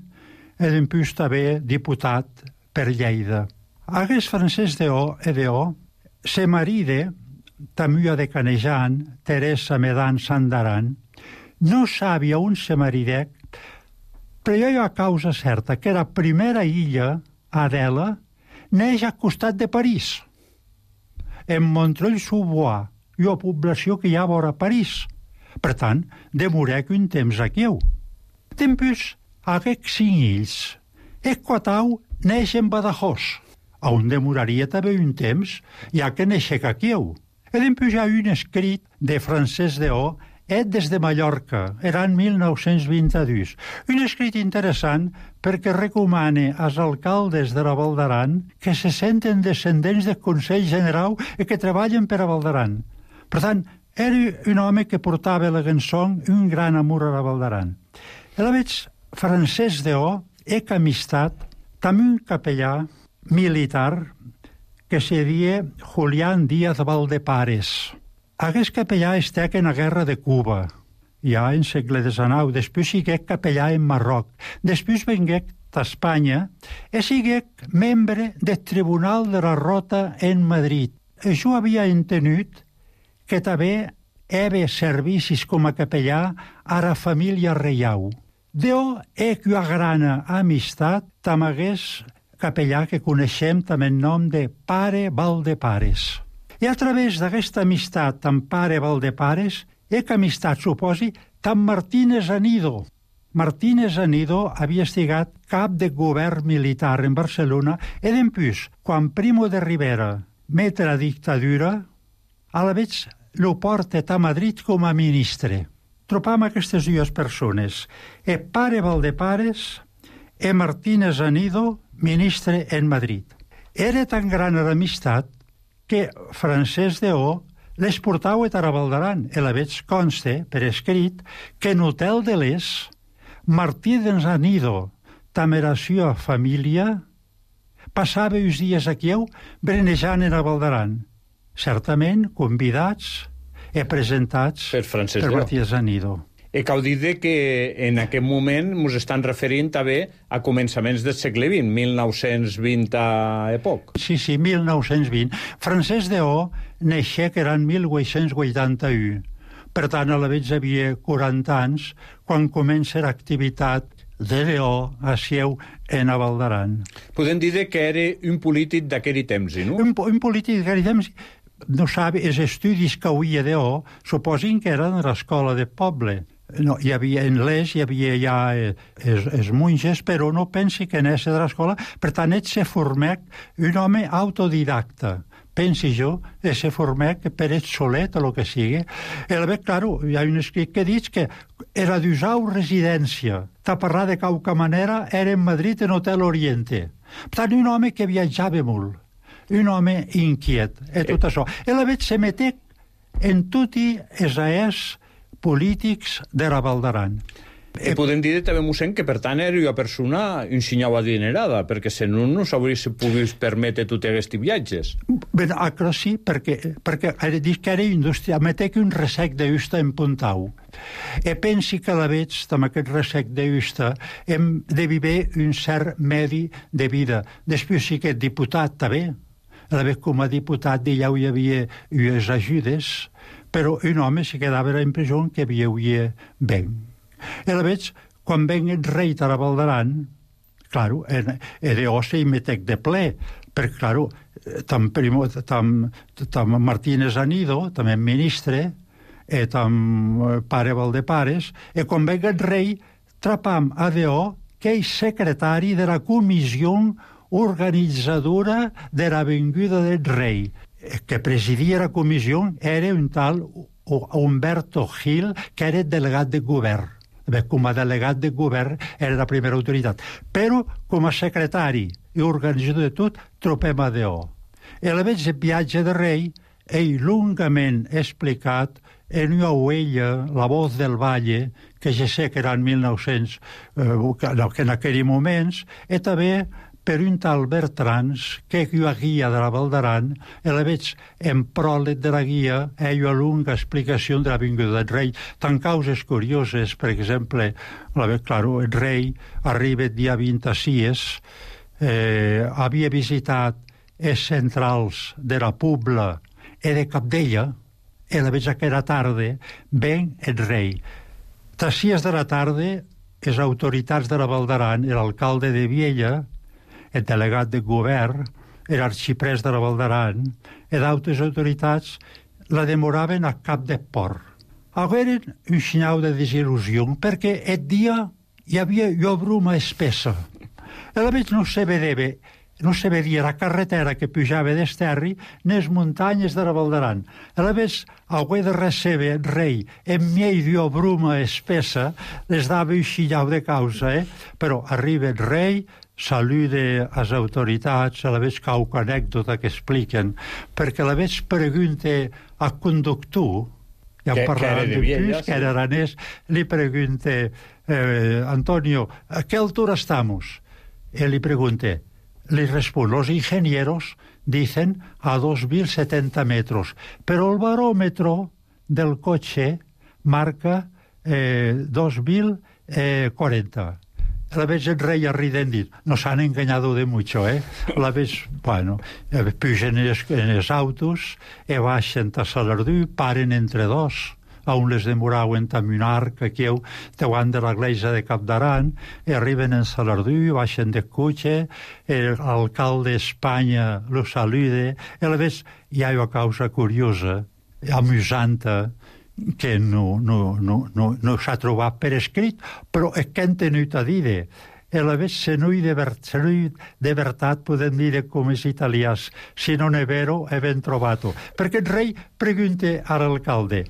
[SPEAKER 5] e dempús també diputat per Lleida. Aguest Francesc Deó, e Deó, se maride, tamua de Canejan, Teresa Medan Sandaran, no sabia on se maridec, però hi ha causa certa que la primera illa, Adela, neix al costat de París, en Montreuil-sous-Bois, una població que hi ha vora París. Per tant, demorec un temps aquí. Tempus, aquests cinc ills, Esquatau neix en Badajoz, on demoraria també un temps, ja que neixec aquí. E tempus hi ha un escrit de Francesc Deó, et des de Mallorca, era en mil nou-cents vint-i-dos. Un escrit interessant perquè recomana als alcaldes de la Val d'Aran que se senten descendents del Consell General i que treballen per a Val d'Aran. Per tant, era un home que portava la cançó un gran amor a la Val d'Aran. I la veig Francesc Deó, ec amistat, també un capellà militar que se dia Julián Díaz Valdepares. Aquest capellà estec en la guerra de Cuba, ja en segle desenou. Després siguec capellà en Marroc. Després venguec a Espanya i siguec membre del Tribunal de la Rota en Madrid. I jo havia entenut que també heve servicis com a capellà a la família reial. Déu ec una grana amistat amb aquest capellà que coneixem també en nom de Pare Valdepares. I a través d'aquesta amistat amb Pare Valdepares, ec amistat, suposi, amb Martínez Anido. Martínez Anido havia estigat cap de govern militar en Barcelona i dempús, quan Primo de Rivera mete la dictadura, a la vez lo porta a Madrid com a ministre. Trobam aquestes dues persones, e Pare Valdepares e Martínez Anido, ministre en Madrid. Era tan gran l'amistat que Francesc Deó les portava a Val d'Aran. I la veig conste, per escrit, que en Hotel de l'Es, Martí d'Anido, també la seva família, passava uns dies aquí brenejant en Val d'Aran. Certament convidats i presentats
[SPEAKER 14] per Francesc
[SPEAKER 5] per
[SPEAKER 14] Deó.
[SPEAKER 5] Martí d'Anido.
[SPEAKER 14] I cal dir que en aquest moment ens estan referint també a començaments del segle vint, mil nou-cents vint a poc.
[SPEAKER 5] Sí, sí, mil nou-cents vint. Francesc Deó neixé que era en mil vuit-cents vuitanta-u. Per tant, a la vegada havia quaranta anys quan comença l'activitat de Deó a seu en Val d'Aran.
[SPEAKER 14] Podem dir que era un polític d'aquell temps, no?
[SPEAKER 5] Un, un polític d'aquell temps, no sabe, els estudis que havia Deó suposin que eren de l'escola de poble. No, hi havia en l'Es, hi havia ja els, els monges, però no pensi que n'és de l'escola. Per tant, ell se formec un home autodidacta. Pensi jo, ell se formec per ell solet o el que sigui. I bé, claro, hi ha un escrit que diu que era d'usau residència. Ta parlar de qualque manera era en Madrid en Hotel Oriente. Per tant, un home que viatjava molt. Un home inquiet. I tot això. I la veig se metec en tutti els aers polítics de la Val d'Aran.
[SPEAKER 14] I podem dir també, mossèn, que per tant era una persona un sinyau adinerada, perquè si no, no s'hauria pogut permetre tots aquests viatges.
[SPEAKER 5] Bé, però sí, perquè, perquè he dit que era indústria, metec un resec d'usta en Puntau. I pensi que la veig, amb aquest resec d'usta, hem de viure un cert medi de vida. Després sí que diputat també, a la vegada com a diputat ja hi havia unes ajudes, però un home se quedava a la impressió que viuia bé. I la veig, quan venc el rei a la Val d'Aran, claro, e de ossa i metec de ple, perquè, claro, tam, primo, tam, tam Martínez Anido, també ministre, e tam Pare Valdepares, e quan venc el rei, trapam a Deó, que és secretari de la comissió organitzadora de la venguda del rei. Que presidia la comissió era un tal Humberto Gil, que era delegat de govern. Bé, com a delegat de govern era la primera autoritat. Però com a secretari i organitzador de tot, trobem a Deó. I a la vegada el viatge de rei ell longament explicat en una huella, La voz del valle, que ja sé que era en mil nou-cents, eh, que en aquells moments, i també per un tal Bertrans, que è la guia de la Val d'Aran, e la veig en pròleg de la guia, ell una lunga explicació de la vinguda del rei, tant causes curioses, per exemple, la veig, claro, el rei arriba el dia vint-i-sis, eh, havia visitat els centrals de la Pobla e de Capdella, e la veig aquella tarda, ven el rei. A sis de la tarda, les autoritats de la Val d'Aran, l'alcalde de Viella, el delegat de govern, l'arxiprès de la Val d'Aran, i d'altres autoritats la demoraven a cap de port. Agueren un senyal de desil·lusió, perquè el dia hi havia una bruma espessa. I la veig no se vedeva, no se vedia la carretera que pujava d'Esterri nes muntanyes de la Val d'Aran. A la vez, haver de recebre el rei en mig d'una bruma espessa les dava un xillau de causa, eh? Però arriba el rei, saluda les autoritats, a la vez cau anècdota que expliquen, perquè a la vez pregunta al conductor, ja
[SPEAKER 14] que,
[SPEAKER 5] parlaven
[SPEAKER 14] que
[SPEAKER 5] d'un
[SPEAKER 14] Viella,
[SPEAKER 5] que era aranès, li pregunta, eh, Antonio, ¿a qué altura estamos? Él le pregunta, le responde, los ingenieros dicen a dos mil setenta metros, pero el barómetro del coche marca eh, dos mil cuarenta. La vez el rey arriden dit, nos han engañado de mucho, eh? La vez, bueno, pugen en els, en els autos, e baixen a Salardú, paren entre dos, on les demoraven amb un arc aquí davant de l'església de Cap d'Aran, i arriben en Salardú, baixen de cotxe, l'alcalde d'Espanya lo saluda, i a la vez hi ha una causa curiosa, amusanta, que no, no, no, no, no s'ha trobat per escrit, però és que han tenut a dir. E a la vez, se no hi de, ver, se no hi de veritat, podem dir com els italians, si non è vero, è ben trovato. Perquè el rei pregunta all'alcalde,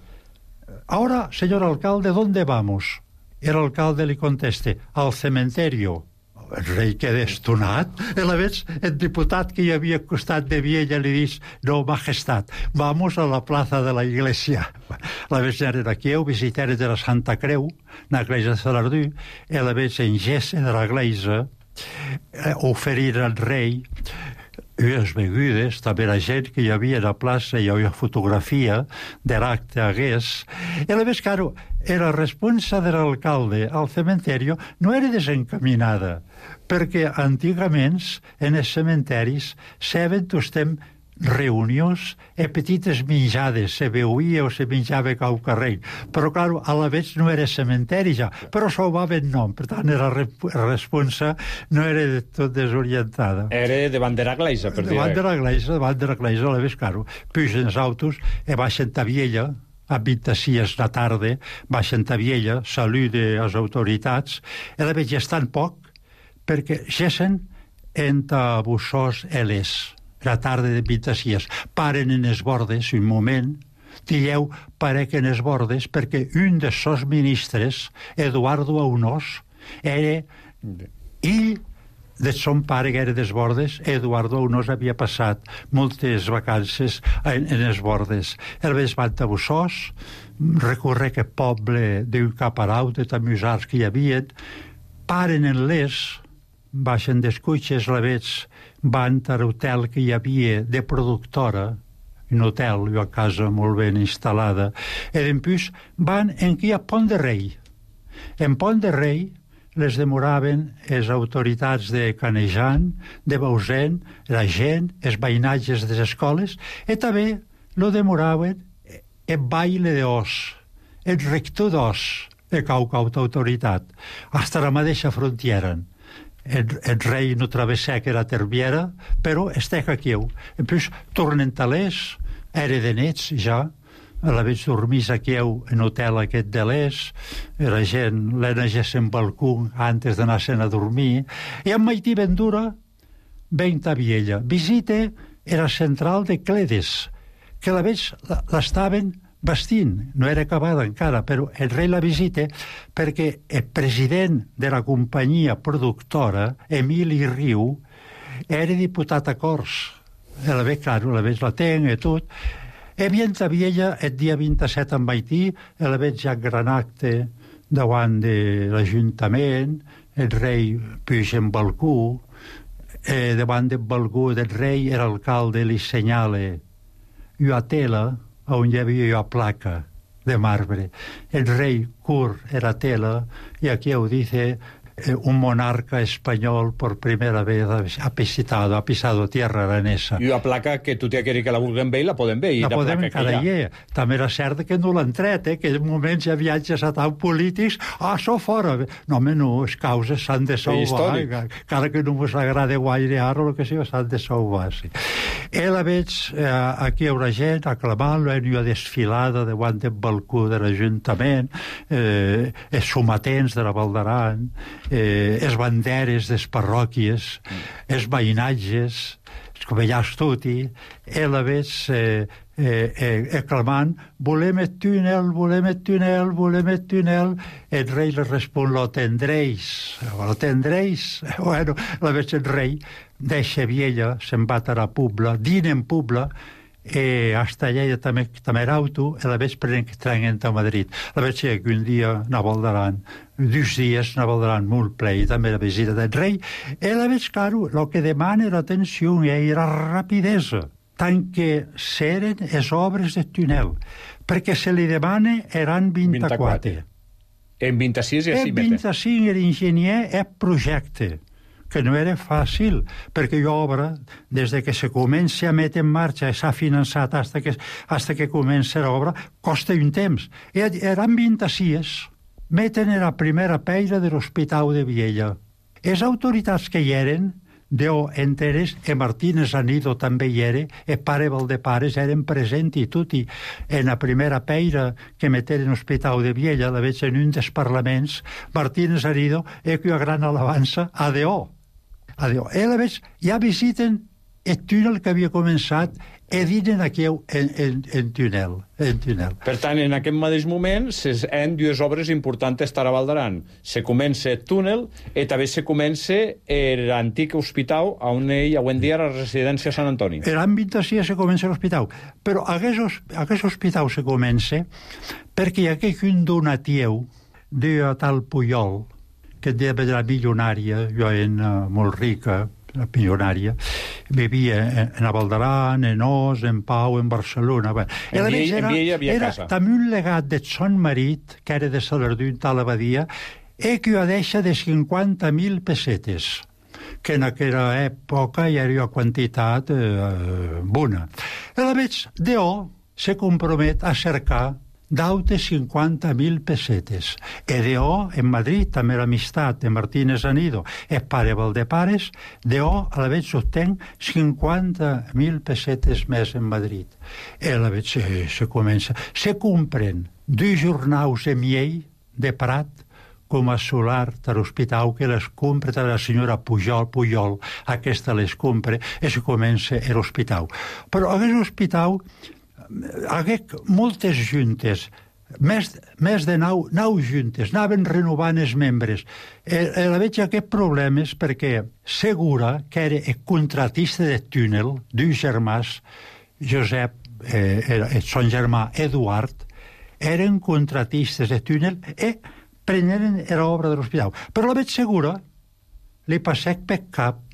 [SPEAKER 5] ahora, señor alcalde, ¿dónde vamos? El alcalde li contesta, al cementerio. El rei queda estonat. I a la vez, el diputat que hi havia al costat de Viella li diu, no, majestat, vamos a la plaza de la iglesia. A la vez eren aquí, visitants de la Santa Creu, na iglesia de Salardú, i a la vez en gest de la iglesia, eh, oferir al rei unes begudes, també la gent que hi havia a la plaça, hi havia fotografia de l'acte hagués. I a la vez, claro, la responsa de l'alcalde al cementerio no era desencaminada, perquè antigament en els cementeris saben que estem reunions e petites menjades, se beuia o se menjava cau carrer, però claro, a la vez no era cementeri ja, però salvaven nom, per tant la responsa no era de tot desorientada.
[SPEAKER 14] Era davant de l'església, per dir.
[SPEAKER 5] Davant de l'església, davant de l'església, a la vez, claro, pugen els autos e baixen a Viella, a vint-i-sis de la tarda, baixen a Viella, saluda les autoritats, i a la vez ja estan poc, perquè gessen entre Bussós i Les. La tarda de vint-i-sis, paren en els bordes un moment, dieu, parec en els bordes, perquè un dels seus ministres, Eduardo Aunós, era ell de son pare que era dels bordes, Eduardo Aunós havia passat moltes vacances en, en els bordes. El vés van a Bussós, recorre aquest poble d'un caparau de tamusars que hi havia, paren en Les, baixen dels cotxes, la veig, van a l'hotel que hi havia de productora, un hotel, una casa molt ben instal·lada, i després van en qui hi ha Pont de Rei. En Pont de Rei les demoraven les autoritats de Canejan, de Bausen, la gent, els veïnatges de les escoles, i també lo demoraven el baile d'Os, el rector d'Os, de caucauta autoritat, hasta la mateixa frontiera. El, el rei no travessà que era terbiera, però estec aquí. En plus, tornen a l'Es, era de nets ja, a la vez dormís aquí en hotel aquest de l'Es, la gent l'enegés en balcó antes d'anar-se'n a dormir, i en Maití Vendura ven a Viella. Visite era central de Cledes, que la vez l'estaven bastint, no era acabada encara, però el rei la visita perquè el president de la companyia productora, Emili Riu, era diputat a Corts. A la vez, claro, a la vez la ten i tot. E vient a Viella el dia vint-i-set en Haití, a la vez ja gran acte davant de l'Ajuntament, el rei puja en balcó, eh, davant del balcó del rei, l'alcalde li senyala una tela on hi havia una placa de marbre. El rei cur era tela y aquí ho dice eh, un monarca español por primera vez ha pisado, ha pisado tierra aranesa.
[SPEAKER 14] I una placa que tu t'hi queri que la vulguem ver i la podem ver. I
[SPEAKER 5] la podem encara hi ha. També era cert que no l'han tret, eh? que en moments hi ha viatges a tant polítics, ah, això fora. No, home, no, les causes s'han de salvar, encara que no us agrada guaire ara, el que sí, s'han de salvar. Sí. I la veig eh, aquí hi haurà gent aclamant, hi ha desfilada davant del balcó de l'Ajuntament, eh, els sometents de la Val d'Aran, eh, les banderes de les parròquies, els veïnatges, els covellars tutti, i la veig eh, eh, eh, clamant, volem el túnel, volem el túnel, volem el túnel. El rei li respon, lo tendréis, lo tendréis. Bueno, la veig el rei, deixa Viella, se'n va a la Pobla, dina en Pobla, e hasta allà també, també era auto, i la veig prenent a Madrid. La veig que un dia a Val d'Aran, dos dies a Val d'Aran molt ple, i també la visita del rei, i la veig, claro, el que demana era atenció i era rapidesa, tant que seren les obres del túnel, perquè se li demana eren vint-i-quatre.
[SPEAKER 14] En vint-i-sis ja s'hi mete.
[SPEAKER 5] En vint-i-cinc l'enginyer és projecte, que no era fàcil, perquè l'obra, des que se comença a metre en marxa i s'ha finançat hasta que, hasta que comença l'obra, costa un temps. I eren vint-i-sis, meten la primera peira de l'Hospital de Viella. Les autoritats que hi eren, Déu enteres, e Martínez Anido també hi era, e pare Valdepares eren present i tutti. En la primera peira que meten en l'Hospital de Viella, la veig en un dels parlaments, Martínez Anido, e que una gran alabança a Déu. Adéu. I la veig, ja visiten el túnel que havia començat i dinen aquí en, en, en, túnel, en túnel.
[SPEAKER 14] Per tant, en aquest mateix moment s'han dues obres importants a Val d'Aran. Se comença el túnel i també se comença l'antic hospital on ell avui en dia era la residència Sant Antoni.
[SPEAKER 5] L'any vint-i-sis se comença l'hospital, però aquest, aquest hospital se comença perquè hi ha un donatiu de tal Puyol, que de la milionària, jo en uh, molt rica, la milionària, vivia en, en Val d'Aran, en Os, en Pau, en Barcelona. Bueno,
[SPEAKER 14] en Viella era, hi havia
[SPEAKER 5] era
[SPEAKER 14] casa.
[SPEAKER 5] També un legat de son marit, que era de Salardú, tal abadia, i que ho deixa de cinquanta mil pessetes, que en aquella època hi havia una quantitat eh, bona. I la veig, Déu se compromet a cercar daute cinquanta mil pessetes. E Déu, en Madrid, també l'amistat de Martínez Anido, el pare Valdepares, Déu a la veig obtenc cinquanta mil pessetes més en Madrid. I a la veig se, se comença. Se compren dos jornals de miell de Prat, com a solar de l'hospital, que les compra de la senyora Pujol, Pujol, aquesta les compra, i se comença l'hospital. Però aquest hospital hagué moltes juntes, més, més de nou, nou juntes, anaven renovant els membres. Eh, la veig aquests problemes perquè Segura, que era el contratista del túnel, dos germans, Josep, eh, era, son germà Eduard, eren contratistes del túnel i preneren l'obra de l'hospital. Però la veig Segura li passec per cap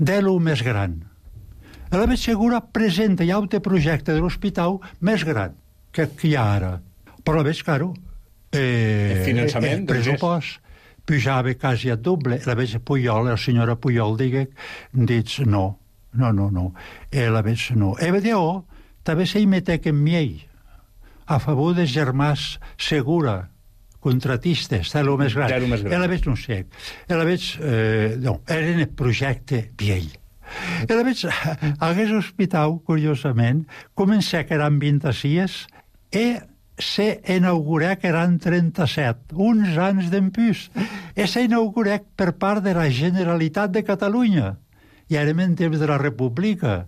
[SPEAKER 5] de lo més gran. La veig Segura presenta ja un projecte de l'hospital més gran que hi ha ara. Però la veig, claro, eh,
[SPEAKER 14] el finançament,
[SPEAKER 5] el pressupost pujava quasi a doble. La veig Puyol, la senyora Puyol, digue, dic, no, no, no, no. I la veig, no. I Déu també s'hi metec en miell, a favor dels germans Segura, contratistes, de lo més gran. I la veig, no sé. I la veig, eh, no, era el projecte viell. I la veig, aquest hospital, curiosament, comença que eren vint-i-sis i se inaugurà que eren trenta-set, uns anys d'empús. I se inaugurà per part de la Generalitat de Catalunya. I ara en temps de la República.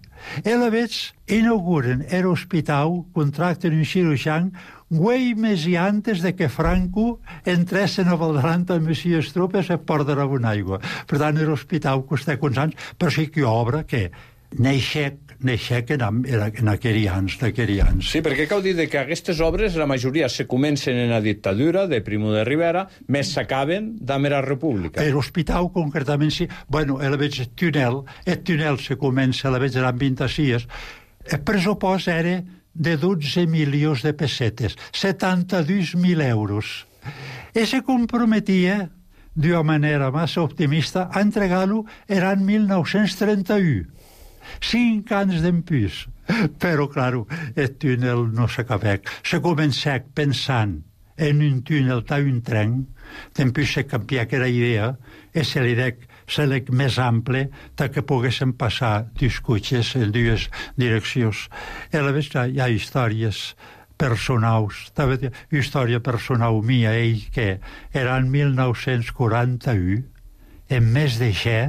[SPEAKER 5] I la veig, inauguren l'hospital, contracten un cirurgià, güey més i antes de que Franco entressin a Val d'Aran amb les tropes a Port d'Aragó aigua. Per tant, l'hospital costa uns anys, però sí que obra que neixec, neixec en, en aquerians, d'aquerians.
[SPEAKER 14] Sí, perquè cal dir que aquestes obres, la majoria se comencen en la dictadura de Primo de Rivera, més s'acaben damb era república.
[SPEAKER 5] L'hospital, concretament, sí. Bueno, el veig el túnel, el túnel se comença, la veig en vint-i-sis. El pressupost era de dotze milions de pessetes, setanta-dos mil euros. I se comprometia, d'una manera massa optimista, a entregar-lo l'any mil nou-cents trenta-u. Cinc anys d'empús. Però, claro, el túnel no s'acabec. Se començà pensant en un túnel d'un un tren, d'empús se canvià aquella idea, i se li dec se l'ec més ample que poguessin passar dos cotxes en dues direccions. I a la vegada hi ha històries personals, també història personal mia, ell que era en mil nou-cents quaranta-u, en mes de ge,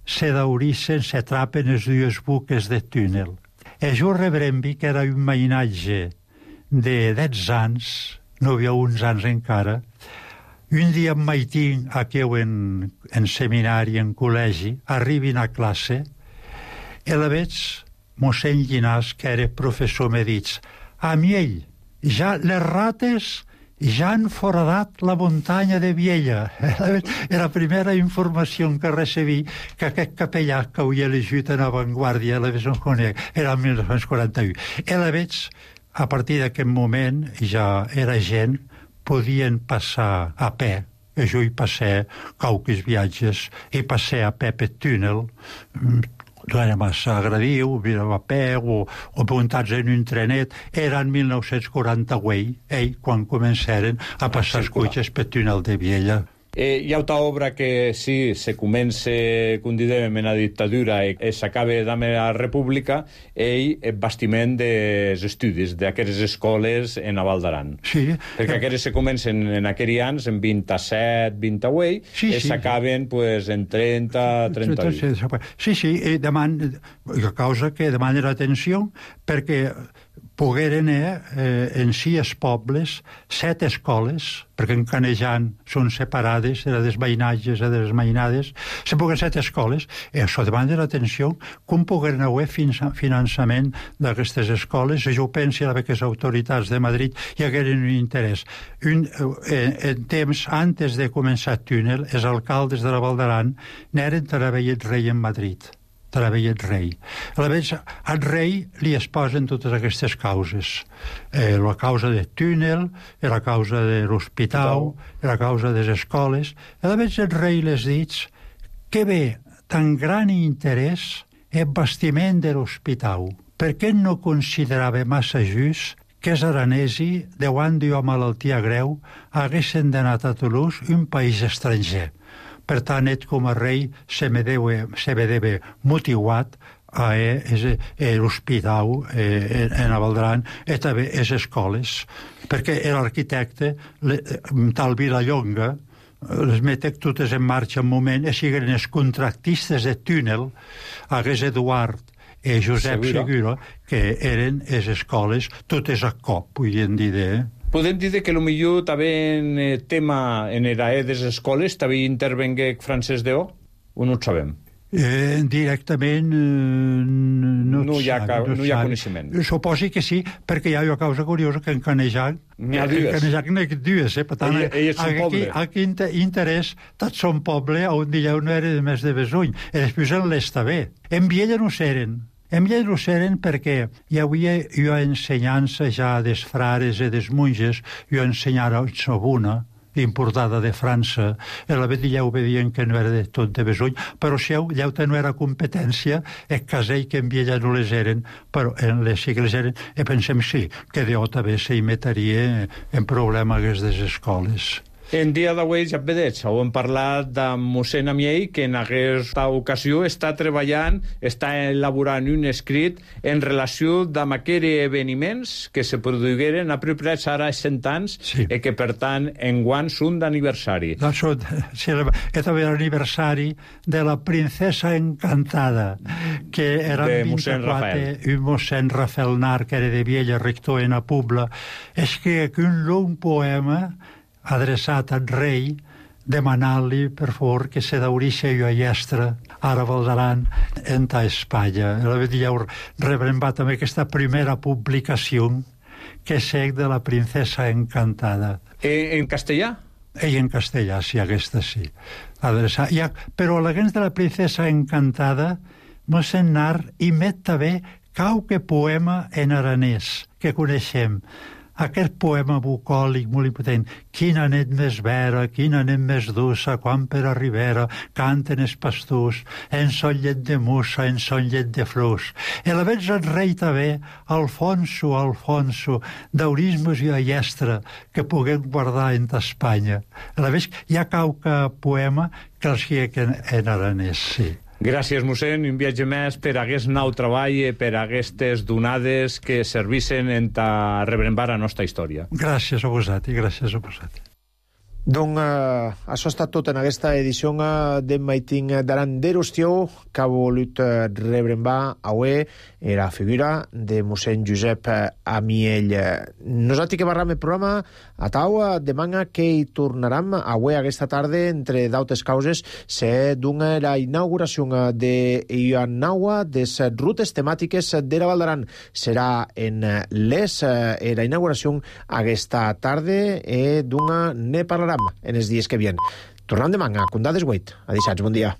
[SPEAKER 5] se daurissen, se trapen les dues buques de túnel. E jo rebrembi que era un mainatge de dez anys, no havia uns anys encara, un dia em maitin aquí en, en seminari, en col·legi, arribin a classe, i la veig mossèn Llinàs, que era professor, me dit, a Miell, ja les rates ja han foradat la muntanya de Viella. Era la primera informació que recebí que aquest capellà que havia elegit en avantguàrdia, la veig en conec, era el mil nou-cents quaranta-u. I la veig, a partir d'aquest moment, ja era gent, podien passar a peu. I jo hi passé qualques viatges, i passé a peu per túnel, no era massa agradiu, mirava a peu o, o muntats en un trenet. Era en mil nou-cents quaranta-vuit, ell, quan començaren a passar els cotxes per túnel de Viella.
[SPEAKER 14] Eh, hi ha una obra que sí, se comença, com dèiem, en la dictadura i s'acaba amb la república, ell, el bastiment dels estudis d'aquestes escoles en la Val d'Aran.
[SPEAKER 5] Sí.
[SPEAKER 14] Perquè aquestes se comencen en aquells anys, en vint-i-set, vint-i-vuit, sí, i s'acaben sí. pues, en trenta, trenta-vuit.
[SPEAKER 5] Sí, sí, i deman, la causa que demana l'atenció perquè pogueren eh, en sis pobles, set escoles, perquè en Canejan són separades, de les veïnatges i de les mainades, se pogueren set escoles, i això demanda l'atenció, com pogueren haver finançament d'aquestes escoles, i jo penso que les autoritats de Madrid hi hagueren un interès. Un, en, en temps, antes de començar el túnel, els alcaldes de la Val d'Aran n'eren treballat rei en Madrid. Treballa el rei. A la vegada, al rei li es posen totes aquestes causes. Eh, la causa del túnel, la causa de l'hospital, la causa de les escoles. A la vegada el rei les dit que ve tan gran interès el bastiment de l'hospital. Per què no considerava massa just que els aranesi, davant d'una malaltia greu, haguessin d'anar a Toulouse, un país estranger. Per tant, ell com a rei se me deve motivat a l'hospital en Val d'Aran i també a les escoles, perquè l'arquitecte, tal Vilallonga, les metec totes en marxa un moment, i siguen els contractistes de túnel, hagués Eduard i Josep Segura, que eren les escoles totes a cop, podien dir, eh?
[SPEAKER 14] Podem dir que potser també en el tema en l'era de les escoles també intervengué Francesc d'O? O no ho sabem?
[SPEAKER 5] Eh, directament eh, no,
[SPEAKER 14] no, hi ha,
[SPEAKER 5] sabe, no,
[SPEAKER 14] no hi ha coneixement.
[SPEAKER 5] Suposi que sí, perquè hi ha una causa curiosa que en Canejac
[SPEAKER 14] n'hi ha dues.
[SPEAKER 5] En Canejac n'hi ha dues, eh? Per tant,
[SPEAKER 14] ell, ell és un
[SPEAKER 5] aquí,
[SPEAKER 14] poble.
[SPEAKER 5] Aquí interès, tot son poble, on dieu no era de més de Besuny. I després en l'esta bé. En Viella no s'eren. En Viella no s'eren perquè hi havia una ensenyança ja dels frares i dels monges, jo ensenyara a Sobuna, importada de França, i la vegada ja ho vedien que no era de tot de Besuny, però si llauta no era competència, és casell que en Viella no les eren, però en les sí que les eren, i pensem sí, que Déu també s'hi metaria en problemes d'aquestes escoles.
[SPEAKER 14] En dia d'avui, ja vedeig, heu parlat de mossèn Amiell, que en aquesta ocasió està treballant, està elaborant un escrit en relació amb aquests esdeveniments que se produïren apropiats ara a cent anys sí. i que, per tant, enguany són d'aniversari.
[SPEAKER 5] No, són, sí, és també l'aniversari de la princesa encantada, que era
[SPEAKER 14] de mossèn Rafael.
[SPEAKER 5] Un mossèn Rafael Nar, que era de Viella, rector en la Pobla, escriu un long poema adreçat al rei demanant-li, per favor, que se daurixa jo a Llestra, ara Valdaran, en ta Espanya. La dieu rebrembar també aquesta primera publicació que sec de la princesa encantada.
[SPEAKER 14] Eh, en castellà?
[SPEAKER 5] I en castellà, sí, aquesta sí. Adreçar. Ja, però la gens de la princesa encantada mos en nar i met també qualque poema en aranès que coneixem. Aquest poema bucòlic molt impotent. Quina nit més vera, quina nit més dussa, quan per a ribera canten els pastors, en son llet de mussa, en son llet de flors. I a la vegada el rei també, Alfonso, Alfonso, d'aurismes i a Llestra, que puguem guardar en Espanya. A la vegada hi ha qualque poema que els hi en, en aranès, sí.
[SPEAKER 14] Gràcies, mossèn, i un viatge més per aquest nou treball i per aquestes donades que servissen en ta rebrembar la nostra història.
[SPEAKER 5] Gràcies a vosaltres, gràcies a vosaltres.
[SPEAKER 1] Doncs eh, això ha estat tot en aquesta edició eh, de Maitin d'Aran d'Erustió, que ha volut eh, rebrembar avui la figura de mossèn Josep eh, Amiell. Nosaltres que barram el programa a tau demana que hi tornarem avui aquesta tarda, entre d'altres causes, se dona la inauguració de Ianaua des rutes temàtiques de la Val d'Aran. Serà en les eh, la inauguració aquesta tarda i d'una ne parlarem en els dies que vien. Tornem demà, a Condades vuit. A dissabte, bon dia.